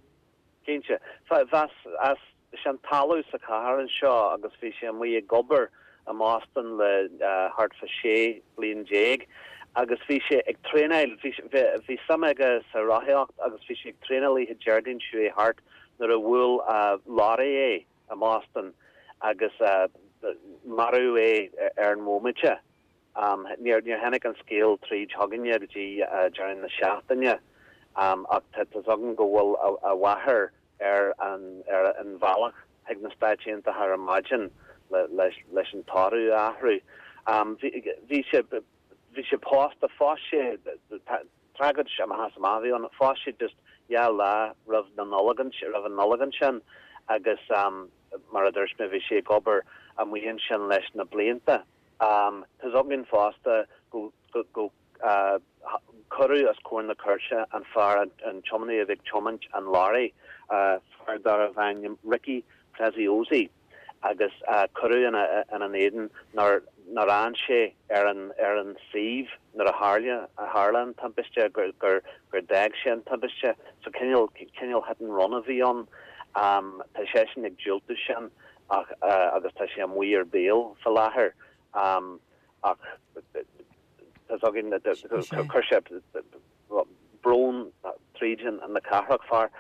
Speaker 12: Cinnte. Bhí as an talamh sa chathair anseo agus bhí sé amuigh ag obair i mBoston le thart fá sé bliain déag agus bhí sé ag traenáil bhí suim aige sa rothaíocht agus bhí sé ag traenáil oíche Déardaoin seo thart nuair a bhuail lorry é i mBoston agus maraíodh é ar an bhomaite. Um, níor níor tháinig an scéal tríd chugainne go dtí deireadh na seachtaine um, ach tá againn go bhfuil a mháthair ar an ar an bhealach chuig na Stáit Aontaithe ar maidin leis leis an tórramh a athrú. Um, bhí sé bhí sé pósta phós sé tragóid amach bhí an phós sé just dhá lá roimh na Nollag roimh an Nollaig ansin agus um, mar a dúirt mé bhí sé ag obair amuigh ansin leis na blianta. Um, Tá againn fosta go, go, go uh, cuireadh os comhair na cúirte an fear an, an tiománaí a bhí ag tiomáint an lorry uh, fear darbh ainm Ricky Preziosi agus uh, cuireadh ina ina éadan nár nár fhan sé ar an ar an suíomh nuair a tharla a tharla an timpiste gur gur gur d'fhág sé an timpiste so cineál cineál hit and run a bhí ann um, tá sé sin ag diúltú sin ach uh, agus tá sé amuigh ar bail faoi láthair um, ach tá againn chuir sé brón tríd an na cathrach fear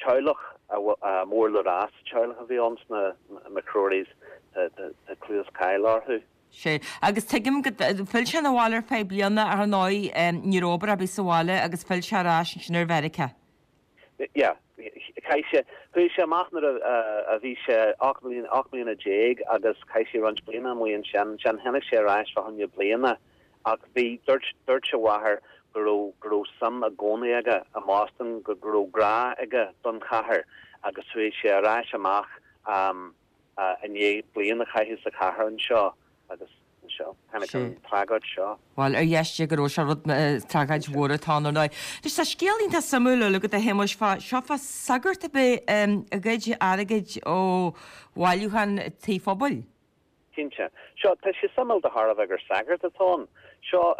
Speaker 12: teaghlach mór le rá teaghlach a bhí ann sna McCrorys clú is cáil orthu.
Speaker 1: Sé agus tuigim go phill sé abhaile ar feadh bliana ar ndóigh ní raibh obair ar bith sa bhaile agus phill sé ar ais sin ar Mheiriceá.
Speaker 12: Ja, chaith sé chuaigh sé amach nuair a bhí sé ocht mbliana déag agus chaith sé roinnt bliana amuigh ansin sin tháinig sé ar ais fá choinne bliana ach bhí dúirt dúirt a mháthair go raibh go raibh suim i gcónaí aige i mBoston go go raibh grá aige don chathair agus chuaigh sé ar ais amach um, uh, i ndiaidh bliain a chaitheamh sa chathair anseo agus seo tháinig an tragóid seo.
Speaker 1: Well ar dheis go raibh sé rud tragóid mhór atá ann. Tá sa scéal iontach suimiúil le go a Shéamuis fá seo fá sagart a bhí ag goid airgid ó bhailiúchán tí phobail.
Speaker 12: Cinnte. Seo tá sé suimiúil de thairbhe gur sagart atá ann. Seo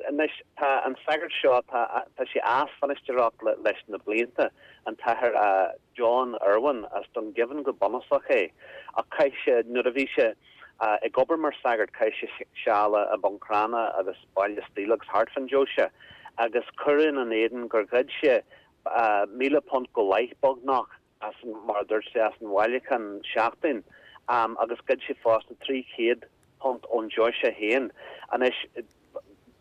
Speaker 12: anois tá an sagart seo tá tá sé as bhainisteoireacht leis na blianta an tAthair uh, John Irwin as Dungiven go bunúsach é ach chaith sé nuair a bhí sé uh, ag obair mar sagart chaith sé seal i Buncrana agus Baile Stíl agus thart fán deoise agus cuireadh ina éadan gur ghoid sé uh, míle punt go leith beagnach as mar dúirt sé as an bhailiúchán seachtain um, agus ghoid sé fosta trí chéad punt ón deoise féin. Anois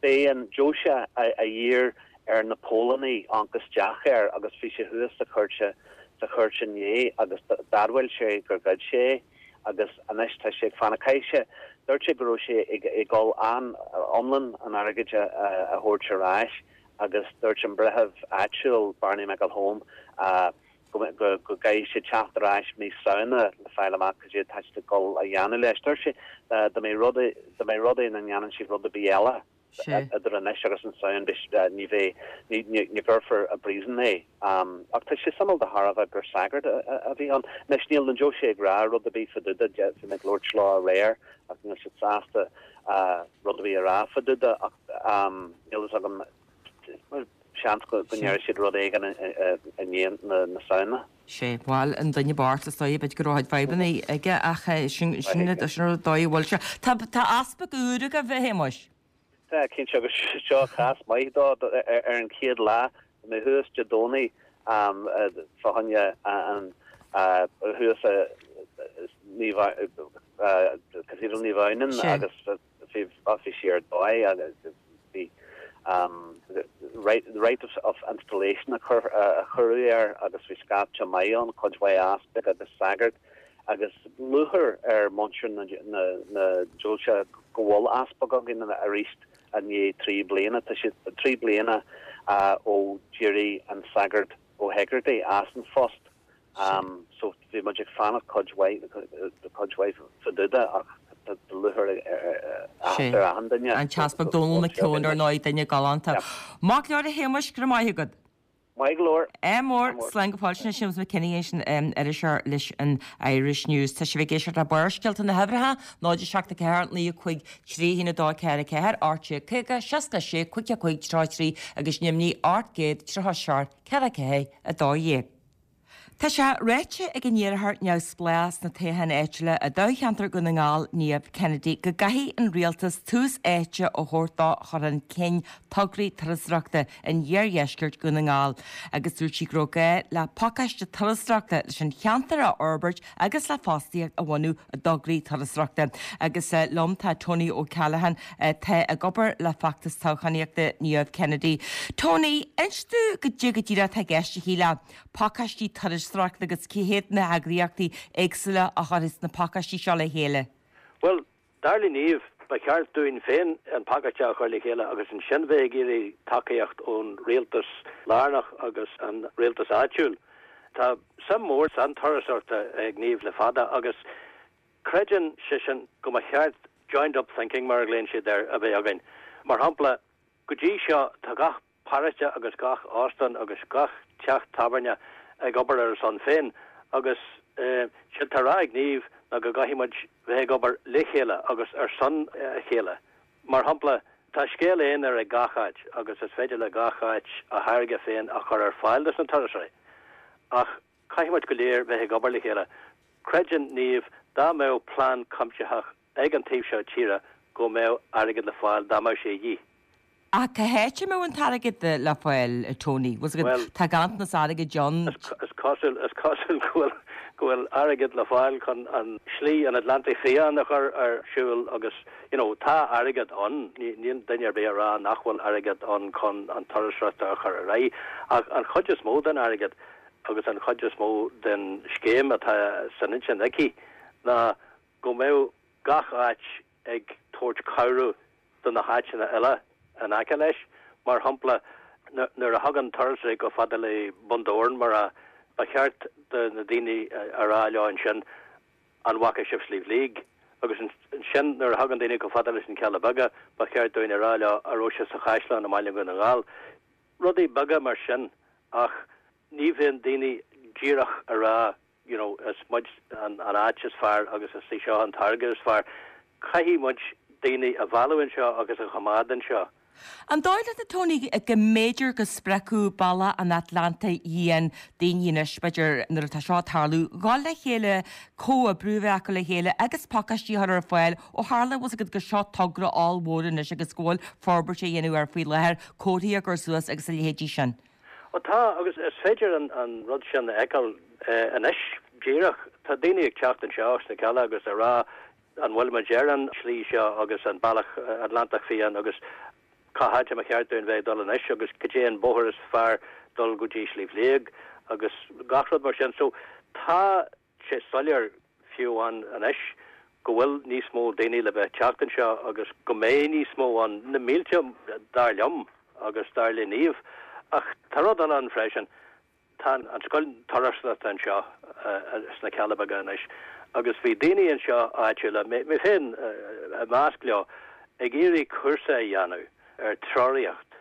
Speaker 12: B'é an deoise a d'iarr ar na póilíní amharc isteach air agus bhí sé thuas sa chúirt sa chúirt inné agus d'admhaigh sé gur ghoid sé é agus anois tá sé ag fanacht. Caithfidh sé, dúirt sé go raibh sé ag ag dul an iomlán an airgid a a thabhairt ar ais agus dúirt an breitheamh áitiúil Barney McElholm go go go gcaithfidh sé teacht ar ais mí Samhna le fáil amach cad é atá siad ag dul a dhéanamh leis. Dúirt sé dá mbeidh rud dá mbeidh rud é nach ndéanann siad rud ar bith eile idir anois agus an Samhain ní bheidh ní gcuirfear i bpríosún é. Ach tá sé suimiúil de thairbhe gur sagart a bhí ann. Anois níl na deoise ag rá rud ar bith fá dtaobh de, bhí mé ag labhairt leo aréir ach níl siad sásta rud ar bith a rá fá dtaobh de ach níl fhios agam seans go ndéarfaidh siad rud éigin i ndiaidh na Samhna.
Speaker 1: Sé, bhuel, an duine bocht is dóigh, b'fhéidir go raibh fadhbanna aige ach sin sin an dóigh a bhfuil sé. Tá tá easpag úr agaibh, a Shéamuis.
Speaker 12: Tá, cinnte, agus seo cás maith dó ar an chéad lá, bhí mé thuas Dé Domhnaigh fá choinne an thuas Cathedral Naomh Adhamhnáin agus bhí bhí sé ar dóigh agus bhí rite of installation a cuireadh air agus bhí scaifte maith ann, cuid mhaith easpaig agus sagart agus lúcháir ar mhuintir na deoise go bhfuil easpag againn arís i ndiaidh trí bliana. Tá sé trí bliana ó d'éirigh an sagart Ó hEigeartaigh as an phost. So bhí muid ag fanacht cuid mhaith cuid mhaith fá dtaobh de ach tá lúcháir ar achan duine.
Speaker 1: An tEaspag Dónal McKeown ar ndóigh, duine galánta. Maith go leor a Shéamuis, go raibh maith agat.
Speaker 12: Maith go leor.
Speaker 1: Ádh mór, slán go fóill. Sin é Séamus McKinney ansin, iriseoir leis an Irish News. Tá sibh ag éisteacht le Barrscéalta na huimhreacha, náid a seacht a ceathair, naoi a cúig, trí a haon a dó ceathair a ceathair, ocht déag caoga, seasca a sé, cúig a cúig, tríocha a trí agus Nimhní ocht gcéad tríocha a seacht, ceathair a ceathair, a dó dhéag. Tá sé ráite ag an iarrthóir neamhspleách sna toghcháin áitiúla i dtoghcheantar Dhún na nGall, Niamh Kennedy, go gcaithfidh an rialtas tús áite a thabhairt do chur chun cinn tograí turasóireachta in iardheisceart Dhún na nGall agus dúirt sí go raibh gá le pacáiste turasóireachta leis an cheantar a fhorbairt agus le fostaíocht a bhunú i dtograí turasóireachta. Agus liom tá Tony O'Callaghan atá ag obair le feachtas toghchánaíochta Niamh Kennedy. Tony, inis domh goidé go díreach atá i gceist aici le pacáistí turasóireachta agus cé hiad na heagraíochtaí éagsúla a chuirfeas na pacáistí seo le chéile?
Speaker 13: Bhuel, dar le Niamh, ba cheart dúinn féin an pacáiste a chur le chéile agus ansin bheith ag iarraidh tacaíocht ón rialtas lárnach agus an rialtas áitiúil. Tá suim mhór san turasóireacht ag Niamh le fada agus creideann sise go mba cheart joined up thinking, mar a ghlaonn siad air, a bheith againn. Mar shampla, go dtí seo tá gach paróiste agus gach óstán agus gach teach tábhairne ag obair ar a son féin agus séard atá á rá ag Niamh ná go gcaithfidh muid bheith ag obair le chéile agus ar son a chéile. Mar shampla, tá scéal aonair ag gach áit agus is féidir le gach áit a tháirge féin a chur ar fáil dos na turasóirí ach caithfidh muid go léir bheith ag obair le chéile. Creideann Niamh dá mbeadh plean cuimsitheach ag an taobh seo tíre go mbeadh airgead le fáil dá mbeadh sé a dhíth.
Speaker 1: Ach cá háit a mbeadh an t-airgead le fáil, a Tony? Bhfuil 's agat, tá ganntanas airgid ann.
Speaker 13: Is cosúil, is cosúil go bhfuil, go bhfuil airgead le fáil chun an Slí an Atlantaigh Fiáin a chur ar siúl agus, you know, tá airgead ann, níl duine ar bith ag rá nach bhfuil airgead ann chun an turasóireacht a chur ar aghaidh ach an chuid is mó den airgead agus an chuid is mó den scéim atá san intinn aici ná go mbeadh gach áit ag tabhairt cabhrú do na háiteanna eile in aice leis. Mar shampla, nuair a thagann turasóirí chomh fada le Bun Dobhráin, mar a, ba cheart do na daoine a rá leo ansin, an bhfaca sibh Sliabh Liag? Agus ansin nuair a thagann daoine chomh fada leis na Cealla Beaga, ba cheart dúinn a rá leo, an raibh sibh sa chaisleán i mBaile Dhún na nGall? Rudaí beaga mar sin ach ní bhíonn daoine díreach a rá you know, is muid an áit is fearr agus is í seo an táirge is fearr. Caithfidh muid daoine a mhealladh anseo agus a choimeád anseo.
Speaker 1: An dóigh leat, a Tony, go mb'fhéidir go spreagfadh Bealach an Atlantaigh Fhiáin daoine anois, b'fhéidir, nuair atá seo ag tarlú, dhul le chéile, comhoibriú a bheith acu le chéile agus pacáistí a chur ar fáil ó tharla, bhfuil 's agat, gur seo togra ollmhór anois agus go bhfuil forbairt á dhéanamh air faoi láthair, comharthaí á gcur suas agus a leithéidí sin?
Speaker 13: Ó tá, agus is féidir an rud sin a fheiceáil anois díreach. Tá daoine ag teacht anseo sna Cealla agus ag rá an bhfuil muid ar an slí seo agus an bealach Atlantach Fiáin agus cá háit a mba cheart dúinn bheith ag dul anois agus cad é an bóthar is fearr dul go dtí Sliabh Liag agus gach rud mar sin. So tá sé soiléir fiú amháin anois go bhfuil níos mó daoine le bheith ag teacht anseo agus go mbeidh níos mó ann, na mílte dar liom agus dar le Niamh. Ach tá rud eile ann freisin, tá an scoil turasóireachta anseo sna Cealla Beaga anois agus bhí daoine anseo áitiúla, mé féin i measc leo, ag iarraidh cúrsa a dhéanamh ar treoraíocht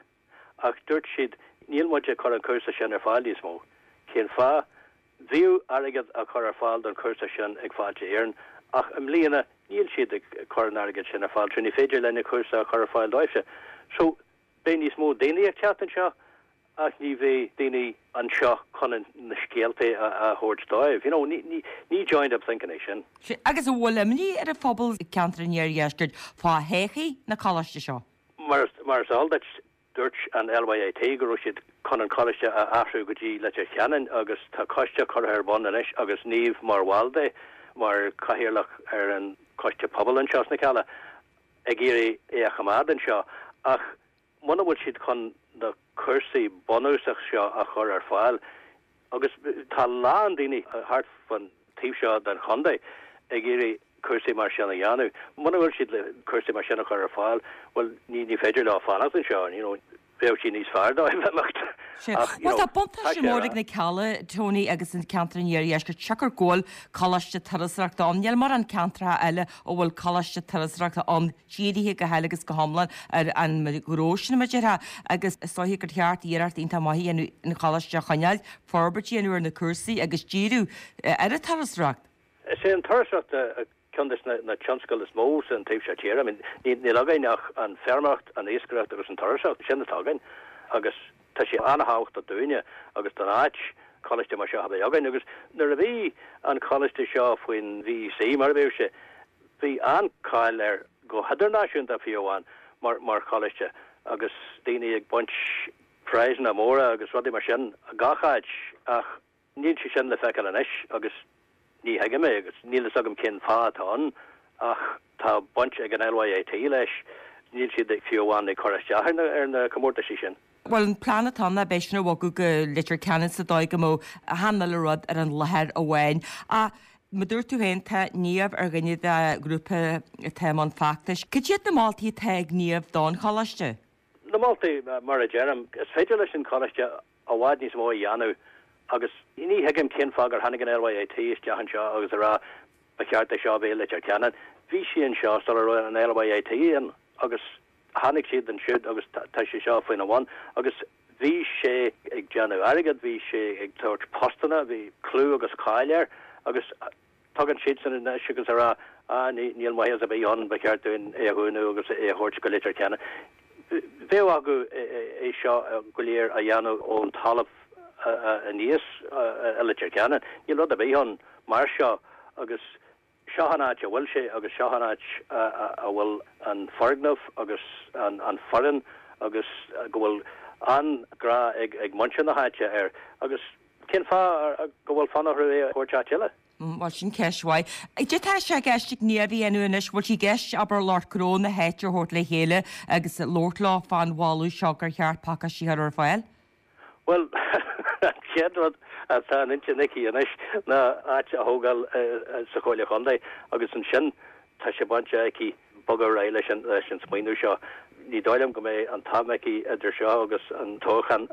Speaker 13: ach dúirt siad níl muid ag cur an cúrsa sin ar fáil níos mó. Cén fáth? Bhíodh airgead á chur ar fáil don chúrsa sin ag Fáilte Éireann ach i mbliana níl siad ag cur an airgid sin ar fáil so ní féidir linn an cúrsa a chur ar fáil dóibhse. So beidh níos mó daoine ag teacht anseo ach ní bheidh daoine anseo chun na scéalta a thabhairt dóibh. You know, ní, ní, ní joined up thinking é sin.
Speaker 1: Agus an bhfuil imní ar an phobal i gceantar an Iardheiscirt fá thodhchaí na coláiste seo?
Speaker 13: Mar, mar is eol duit, Dúirt an LYIT go raibh siad chun an coláiste a athrú go dtí Leitir Ceanainn agus tá coiste curtha ar bun anois agus Niamh mar bhall de, mar chathaoirleach ar an choiste pobail anseo sna Cealla, ag iarraidh é a choimeád anseo. Ach muna bhfuil siad chun na cúrsaí bunúsach seo a chur ar fáil, agus tá a lán daoine thart fan taobh seo den chontae ag iarraidh cúrsaí mar sin a dhéanamh. Muna bhfuil siad le cúrsaí mar sin a chur ar fáil, bhuel, ní ní féidir leo fanacht anseo, you know, bheadh sé níos fearr dóibh imeacht.
Speaker 1: Ach, you know, tá buntáiste mór ag na Cealla, Tony, agus an ceantar an Iardheiscirt, siocair go bhfuil coláiste turasóireachta ann. Níl mórán ceantracha eile a bhfuil coláiste turasóireachta ann dírithe go huile agus go hiomlán ar an ghnó sin, mar a déarfá, agus is dóiche gur cheart iarracht iontach maith a dhéanamh an choláiste a choinneáil, forbairt a dhéanamh ar na cúrsaí agus díriú ar an turasóireacht.
Speaker 13: Is é an turasóireacht ceann de na tionscail is mó san taobh seo tíre. I mean, níl againn ach an feirmeoireacht, an iascaireacht agus an turasóireacht, sin atá againn. Agus tá sé an-thábhachtach dúinne agus don áit coláiste mar seo a bheith againn. Agus nuair a bhí an coláiste seo faoin VEC, mar a bhíodh sé, bhí an-cháil air go hidirnáisiúnta fiú amháin mar mar choláiste agus daoine ag baint prizeanna móra agus rudaí mar sin gach áit ach níl sé sin le feiceáil anois agus ní thuigim é agus níl fhios agam cén fáth atá ann ach tá baint ag an LYIT leis, níl siad fiú amháin ag cur isteach ar na comórtaisí sin.
Speaker 1: Bhuel, an plean atá ann ná b'fhéidir sin a bhogadh go Leitir Ceanainn sa dóigh go mbeadh achan uile rud ar an láthair amháin. Ach mar a dúirt tú féin, tá Niamh ar dhuine de ghrúpa atá i mbun feachtais. Cad iad na moltaí atá ag Niamh don choláiste?
Speaker 13: Na moltaí, mar a deirim, is féidir leis an choláiste i bhfad níos mó a dhéanamh Agus ní thuigim cén fáth gur tháinig an LYIT isteach anseo agus a rá ba cheart é seo a bheith i Leitir Ceanainn. Bhí sí anseo sula raibh an LYIT ann agus tháinig siad ansiúd agus tá sé seo faoina bhun agus bhí sé ag déanamh airgead, bhí sé ag tabhairt postanna, bhí clú agus cáil air agus Tagann siadsan anois agus a rá, ah, ní, níl maitheas ar bith ann, ba cheart dúinn é a dhúnadh agus é a thabhairt go Leitir Ceanainn. Bheadh acu é seo go léir a dhéanamh ón talamh aníos i Leitir Ceanainn. Níl rud ar bith ann mar seo agus seo an áit a bhfuil sé agus seo an áit a bhfuil an foirgneamh agus an foireann agus go bhfuil an-ghrá ag muintir na háite air agus cén fáth go bhfuil fonn orthu é a thabhairt áit eile?
Speaker 1: Bhuel, sin ceist mhaith. Cad é atá sé i gceist ag Niamh a dhéanamh anois? Bhfuil sé i gceist, abair, lucht gnó na háite a thabhairt le chéile agus labhairt leo fán mholadh seo gur cheart pacáistí a chur ar fáil?
Speaker 13: Bhuel, an chéad rud atá in intinn aici anois ná áit a thógáil sa Chomhairle Chontae agus ansin tá sé bainte aici bogadh ar aghaidh leis an leis an smaoineamh seo. Ní dóigh liom go mbeidh an t-am aici idir seo agus an toghchán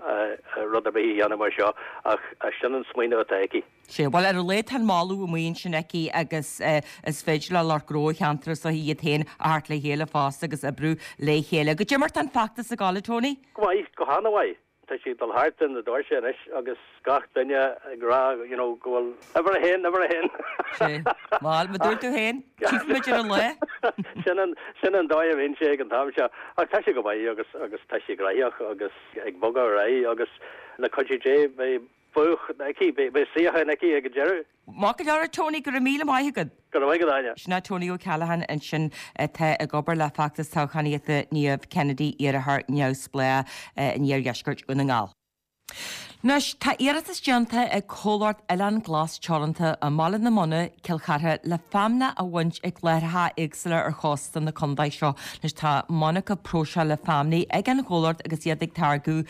Speaker 13: rud ar bith a dhéanamh mar seo ach sin an smaoineamh atá aici.
Speaker 1: Sea, bhuel, ar a laghad tá an moladh amuigh ansin aici agus is féidir le lucht gnó an cheantair is dóiche iad féin a thabhairt le chéile fosta agus oibriú le chéile. Goidé mar tá an feachtas ag gabháil, a Tony?
Speaker 13: Go maith, go han-mhaith. Tá sé ag dul thart ar na doirse anois agus gach duine ag rá you know go bhfuil uimhir a haon, uimhir a haon.
Speaker 1: Sea, bhuel, mar a dúirt tú féin, tchífimid ar an lá.
Speaker 13: Sin an, sin an dóigh a bhíonn sé ag an t-am seo. Ach tá sé go maith agus, agus tá sé gnaitheach agus ag bogadh ar aghaidh agus le cuidiú Dé beidh bua aici, beidh suíochán aici ag an deireadh.
Speaker 1: Maith go leor, a Tony, go raibh míle maith agat.
Speaker 13: Go raibh maith agat, Áine.
Speaker 1: Sin é Tony O'Callaghan ansin atá ag obair le feachtas toghchánaíochta Niamh Kennedy, iarrthóir neamhspleách in iardheisceart Dhún na nGall. Anois, tá iarratas déanta ag Comhlacht Oileán Glas Teoranta i mBaile na Móna, Cill Chartha, le feamnach a bhaint ag láithreacha éagsúla ar chósta na contae seo. Anois, tá monarcha próiseála feamnaí ag an chomhlacht agus iad ag táirgeadh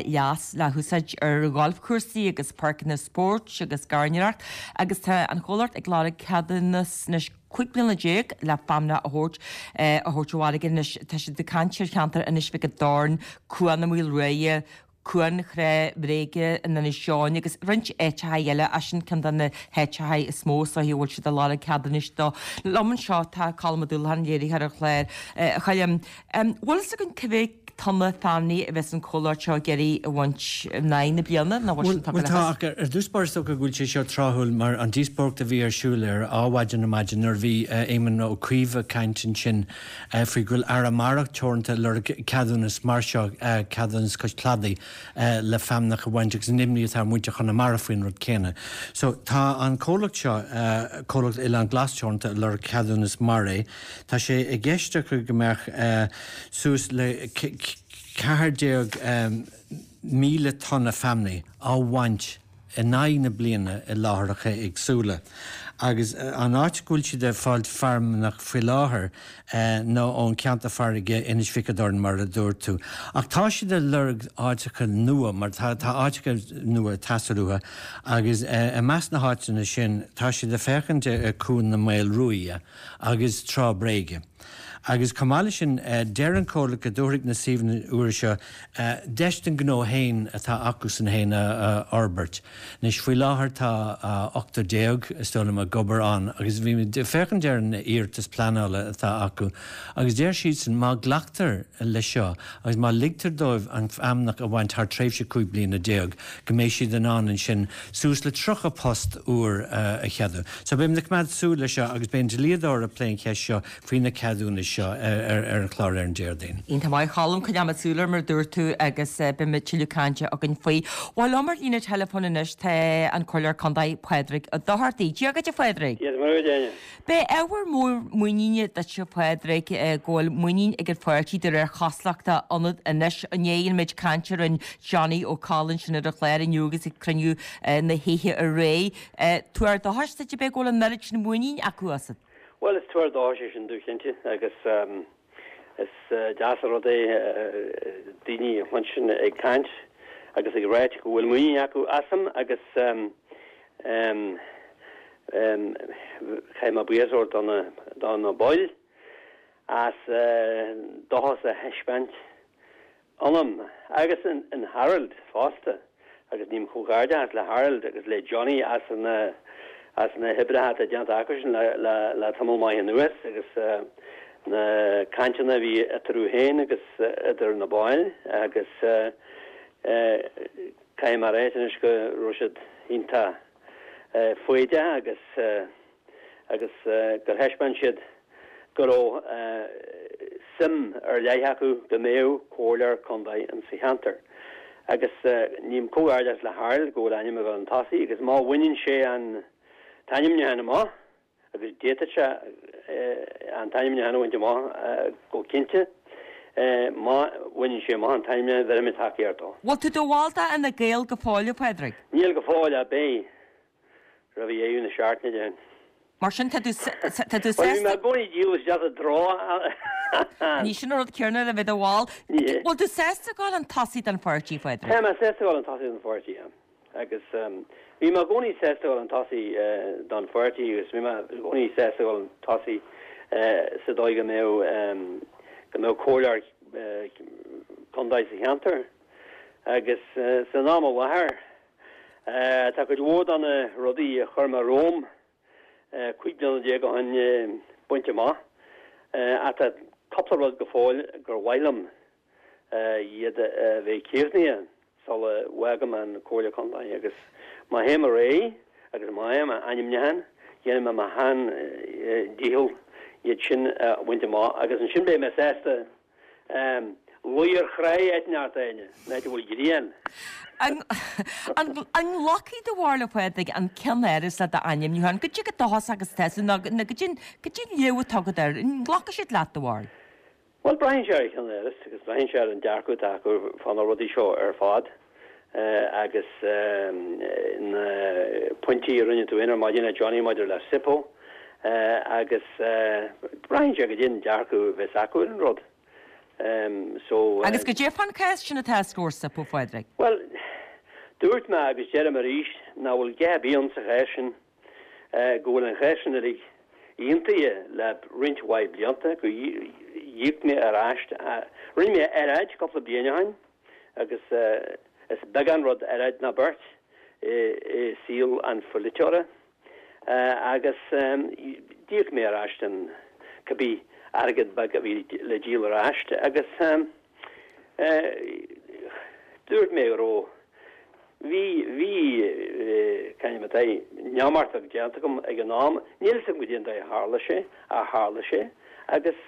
Speaker 1: leas le húsáid ar ghalfchúrsaí agus páirceanna spóirt agus gairneoireacht agus tá an chomhlacht ag lorg ceadúnas anois cúig bliana déag le feamnach a thabhairt a thabhairt ó fharraige. Anois, tá siad ag caint ar cheantar Inis Mhic an Doirn, Cuan na Maoilruaidhe, Cuan Thrá Bhréige in Inis Eoghain agus roinnt áiteacha eile, ach sin ceann de na háiteacha is mó is dóichí a bhfuil siad ag lorg ceadúnais dó. Liom anseo tá Colm Ó Dúlacháin, léiritheoir an chláir. A Choilm, bhfuil fhios againn cé mhéad tonna feamnaí a bheas an comhlacht seo ag iarraidh a bhaint in aghaidh na bliana nó bhfuil sin tugtha
Speaker 14: Bhuel
Speaker 1: le
Speaker 14: tá,
Speaker 1: fios?
Speaker 14: ach ar dtús báire is dócha go bhfuil sé seo tráthúil mar an díospóireacht a bhí ar siúl ar Adhmhaidin ar maidin nuair a bhí Éamon Ó Cuív ag caint ansin faoi go bhfuil Arramara Teoranta ag lorg ceadúnas mar seo, ceadúnas cois cladaigh le feamnach a bhaint agus an imní atá ar mhuintir Chonamara faoin rud céanna. So tá an comhlacht seo, Comhlacht Oileán Glas Teoranta ag lorg ceadúnas mar é. Tá sé i gceist acu go mbeadh suas le ceathair déag míle tonna feamnaí á bhaint in aghaidh na bliana i láithreacha éagsúla. Agus an áit go bhfuil siad ag fáilt feamnach faoi láthair ná ón cheantar farraige Inis Mhic an Doirn mar a dúirt tú. Ach tá siad ag lorg áiteacha nua mar tá tá áiteacha nua ag teastáil uathu agus i measc na háiteanna sin tá siad ag féachaint ar Cuan na Maolruaidhe agus Trá Bréige. Agus chomh maith leis sin, deir an comhlacht go dtabharfaidh na suíomhanna úra seo deis don ghnó féin atá acusan féin a fhorbairt. Anois, faoi láthair tá ochtar déag, is dóigh liom, ag obair ann agus bhí mé ag féachaint ar an iarratas pleanála atá acu agus deir siadsan má ghlactar leis seo agus má ligtear dóibh an fheamnach a bhaint thar tréimhse cúig bliana déag go mbeidh siad in ann ansin suas le tríocha post úr a cheadú. So beidh muid ag coimeád súil leis seo agus beidh an dlíodóir ag plé an cheist seo faoi na ceadúnais seo ar an chlár ar an Déardaoin.
Speaker 1: Iontach maith, a Choilm, coinneoimid súil air mar a dúirt tú agus beidh tuilleadh cainte againn faoi. Bhuel, liom ar líne teileafóin anois tá an Comhairleoir Contae Pádraig Ó Dochartaigh. Dia dhuit a Phádraig.
Speaker 15: Dia is Muire dhuit, Áine.
Speaker 1: B'é ábhar mór muiníne duit a Phádraig go bhfuil muinín ag an pháirtí de réir chosúlachta ionat anois i ndiaidh an méid cainte a rinne Johnny Ó Coll ansin ar an chlár inniu agus ag cruinniú na hoíche aréir. Tuar dóchais duit ab é go bhfuil an oiread sin muinín acu asat?
Speaker 15: Bhuel, is tuar dóchais é sin domh cinnte agus is deas an rud é daoine a chluinstin ag caint agus ag ráit go bhfuil muinín acu asam agus caithfidh mé buíochas a thabhairt do na baill as dóchas a thaispeáint ionam agus in Harold fosta agus ním comhghairdeas le Harold agus le Johnny as na as na hoibreacha atá déanta acusan le le le tamall maith anuas agus na cainteanna a bhí eatarthu féin agus idir na baill agus caithfidh mé a ráit anois go raibh siad iontach foighdeach agus agus gur thaispeáin siad go raibh suim ar leith acu go mbeadh comhairleoir contae in sa cheantar. Agus ním comhghairdeas le Harold go bhfuil a ainm ag dul chun tosaigh agus má bhaineann sé an t-ainmniúchán amach, agus d'fhéadfadh sé an t-ainmniúchán a bhaint amach go cinnte, má bhaineann sé amach an t-ainmniúchán bheirfidh mé tacaíocht dó.
Speaker 1: Bhfuil tú i do bhall d'Fhine Gael go fóill, a Phádraig?
Speaker 15: Níl go fóill ach beidh. Roimh dheireadh na seachtaine, déarfainn.
Speaker 1: Mar sin, tá tú tá tú
Speaker 15: Bhuel, bhí mé
Speaker 1: sásta.
Speaker 15: i gcónaí díol isteach i dtreo.
Speaker 1: Ní sin an rud céanna le bheith i do bhall.
Speaker 15: Ní hea.
Speaker 1: Bhfuil tú sásta dul chun tosaigh don pháirtí, Phádraig?
Speaker 15: Tá mé sásta dul chun tosaigh don pháirtí, yeah. Agus bhí mé i gcónaí sásta dul chun tosaigh don pháirtí agus bhí mé i gcónaí sásta dul chun tosaigh sa dóigh go mbeadh go mbeadh comhairleoir contae sa cheantar. Agus san am i láthair, Tá cuid mhór de na rudaí a chuir mé romham cúig bliana déag ó shin bainte amach ach tá cúpla rud go fóill gur mhaith liom iad a bheith críochnaithe sula bhfágaim an Comhairle Contae agus má théim ar aghaidh agus má fhaighim ainmniúchán déanfaidh mé mo shean dícheall iad sin a bhaint amach agus ansin beidh mé sásta Luí ar chrainn áit inteacht, a Áine, in áit a bhfuil grian.
Speaker 1: An nglacfaidh do bharúil, a Phádraig, an ceannáras le d'ainmniúchán? Goidé chomh dóchasach agus atá tú nó goidé an léamh atá agat air? An nglacfaidh siad leat, do bharúil?
Speaker 15: Bhuel, braitheann sé ar an cheannáras agus braitheann sé ar an dearcadh atá acu fá na rudaí seo ar fad.
Speaker 13: agus na pointí a rinne tú ar maidin a Johnny maidir le SIPO agus braitheann sé goidé an dearcadh a bheas acu ar an rud. So
Speaker 1: Agus goidé fán chás sin atá os comhair SIPO, a Phádraig?
Speaker 13: Bhuel, dúirt mé agus deirim arís nach bhfuil a dhath ar bith ann sa chás sin, go bhfuil an chás sin uilig aontaithe le roinnt mhaith blianta, go d'íoc mé ar ais, rinne mé earráid cúpla bliain ó shin agus is beag an rud earráid ná beart i saol an pholaiteora agus d'íoc mé ar ais an cibé airgead beag a bhí le díol ar ais agus dúirt mé go raibh, bhí, bhí, c'ainm atá é, neamhartach déanta agam ag an am, níl a fhios agam goidé an dóigh a tharla sé, ach tharla sé agus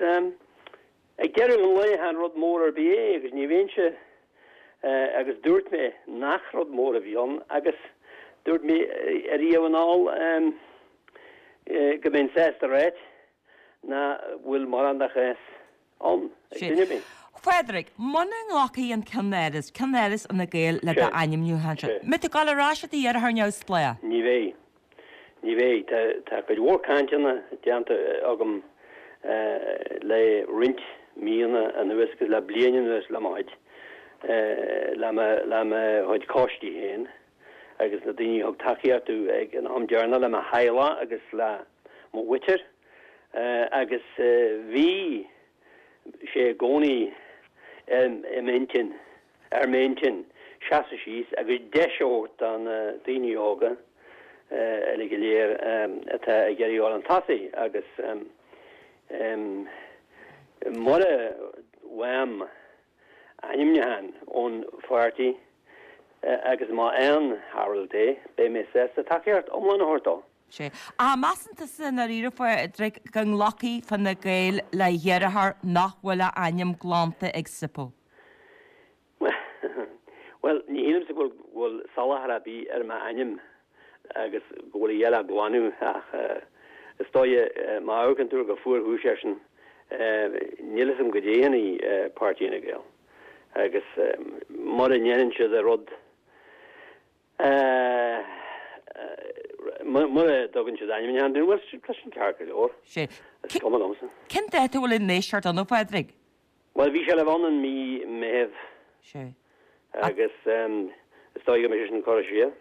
Speaker 13: ag deireadh an lae chan rud mór ar bith é agus ní bheinnse, agus dúirt mé nach rud mór a bhí ann agus dúirt mé ariamh anall go mbeinn sásta ráit nach bhfuil mórán de chás ann ag duine ar bith.
Speaker 1: Phádraig, muna nglacfaidh an Ceannáras, Ceannáras Fhine Gael le d'ainmniúchán seo, mbeidh tú ag dul ar ais i do dheartháir neamhspleách?
Speaker 13: Ní bheidh. Ní bheidh. Tá cuid mhór cainteanna déanta agam le roinnt míonna anuas agus le bliain anuas le mo chuid, le mo, le mo chuid coistí féin agus na daoine a thug tacaíocht domh ag an am deireanach, le mo theaghlach agus le mo mhuintir agus bhí sé i gcónaí i m'intinn, ar m'intinn seasamh síos agus deis a thabhairt do na daoine óga uilig go léir atá ag iarraidh a dhul chun tosaigh agus mura bhfaighim ainmniúchán ón pháirtí agus má fhaigheann Harold é, beidh mé sásta tacaíocht iomlán a thabhairt dó.
Speaker 1: Sea. Ach measann tusa i ndáiríre, a Phádraig, go nglacfaidh Fine Gael le dheartháir nach bhfuil a ainm glanta ag SIPO?
Speaker 13: Bhuel, ní shílimse go bhfuil salachar ar bith ar m'ainm agus go bhfuil a dhath le glanadh ach is dóigh má amharcann tú ar go fuarchúis air sin, níl a fhios agam goidé a dhéanfaidh Páirtí Fhine Gael agus mura ndéanann siad an rud mura dtugann siad ainmniúchán dúinn, bhuel, tá sin ceart go leor.
Speaker 1: Sea.
Speaker 13: Is cuma liomsa.
Speaker 1: Cén dáta a bhfuil an éisteacht ann, a Phádraig?
Speaker 13: Bhuel, bhí sé le bheith ann in mí Meithimh.
Speaker 1: Sea.
Speaker 13: Agus is dóigh go mbeidh sé sin curtha siar.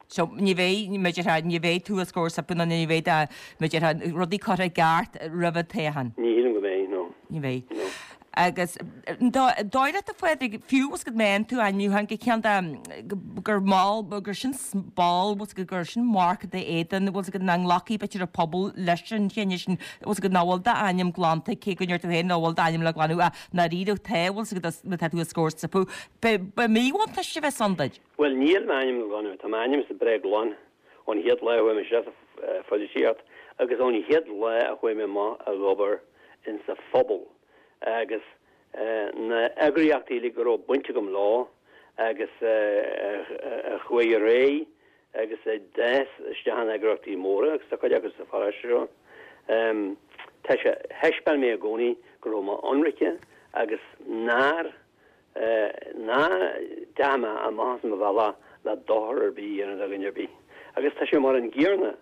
Speaker 1: So, ní bheidh, mar a déarfá, ní bheidh tú os comhair SIPO nó ní bheidh, mar a déarfá, rudaí curtha i gceart roimh an toghchán.
Speaker 13: Ní shílim go mbeidh, no.
Speaker 1: Ní bheidh.
Speaker 13: No.
Speaker 1: Agus an dóigh leat, a Phádraig, fiú bhfuil a fhios agat má fhaigheann tú ainmniúchán go ceann de, gur mall, gur sin ball, bhfuil a fhios agat, gur sin marc i d'éadan, bhfuil a fhios agat, nach nglacfaidh b'fhéidir an pobal leis an chinneadh sin, bhfuil a fhios agat, nach bhfuil d'ainm glanta, cé go ndeir tú féin nach bhfuil d'ainm le glanadh ach i ndáiríre tá, bhfuil a fhios agat, má tá tú os comhair SIPO. Ba mhíbhuntáiste a bheas ann duit.
Speaker 13: Bhuel, níl m'ainm le glanadh, tá m'ainmse breá glan ón chéad lá a chuaigh mé isteach sa pholaitíocht agus ón chéad lá a chuaigh mé amach ag obair insa phobal agus na eagraíochtaí uilig go raibh baint agam leo agus a chuaigh ar aghaidh agus a d'fhás isteach in eagraíochtaí móra agus tá cuid acu sa pharóiste seo. Tá sé, thaispeáin mé i gcónaí go raibh mé ionraice agus nár, nach ndeachaigh mé amach as mo bhealach le dochar ar bith a dhéanamh do dhuine ar bith. Agus tá sé mar an gcéanna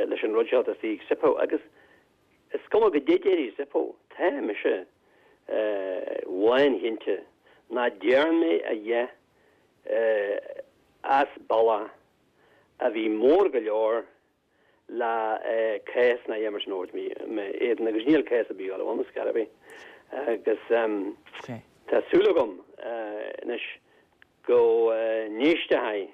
Speaker 13: leis an rud seo atá istigh ag SIPO agus Is cuma goidé déarfaidh SIPO, tá mise lánchinnte nach dtearn mé a dhath as bealach a bhí mór go leor le cás ná a dhath mar sin a thabhairt i m'éadan agus níl cás ar bith ag dul a bheith ann ar scor ar bith agus tá súil agam anois go n-éistfidh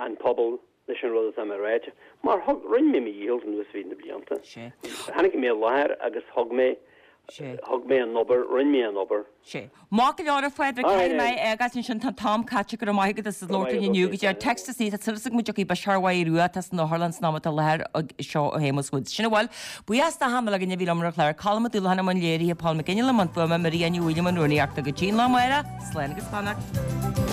Speaker 13: an pobal leis an rud atá mé a ráit, mar thug, rinne mé mo dhícheall anuas fríd na blianta. Tháinig mé i láthair agus thug mé, thug mé an obair, rinne mé an obair.
Speaker 1: Sea. Maith go leor a Phádraig, caithfidh mé é a fhágáilt ansin, tá an t-am caite, go raibh maith agat as labhairt linn inniu, go dtí Text is tá súil agam go dtiocfaidh biseach mhaith rua atá san otharlann san am atá i láthair seo ó Shéamus Woods. Sin a bhfuil. Buíochas d'achan uile dhuine a bhí liom ar an chlár, Colm Ó Dúlacháin i mbun léirithe, Paul McGinley i mbun fuaime, Maria Ní Mhaoileoin i mbun rúnaíochta. Go dtí an lá amárach, slán agus beannacht.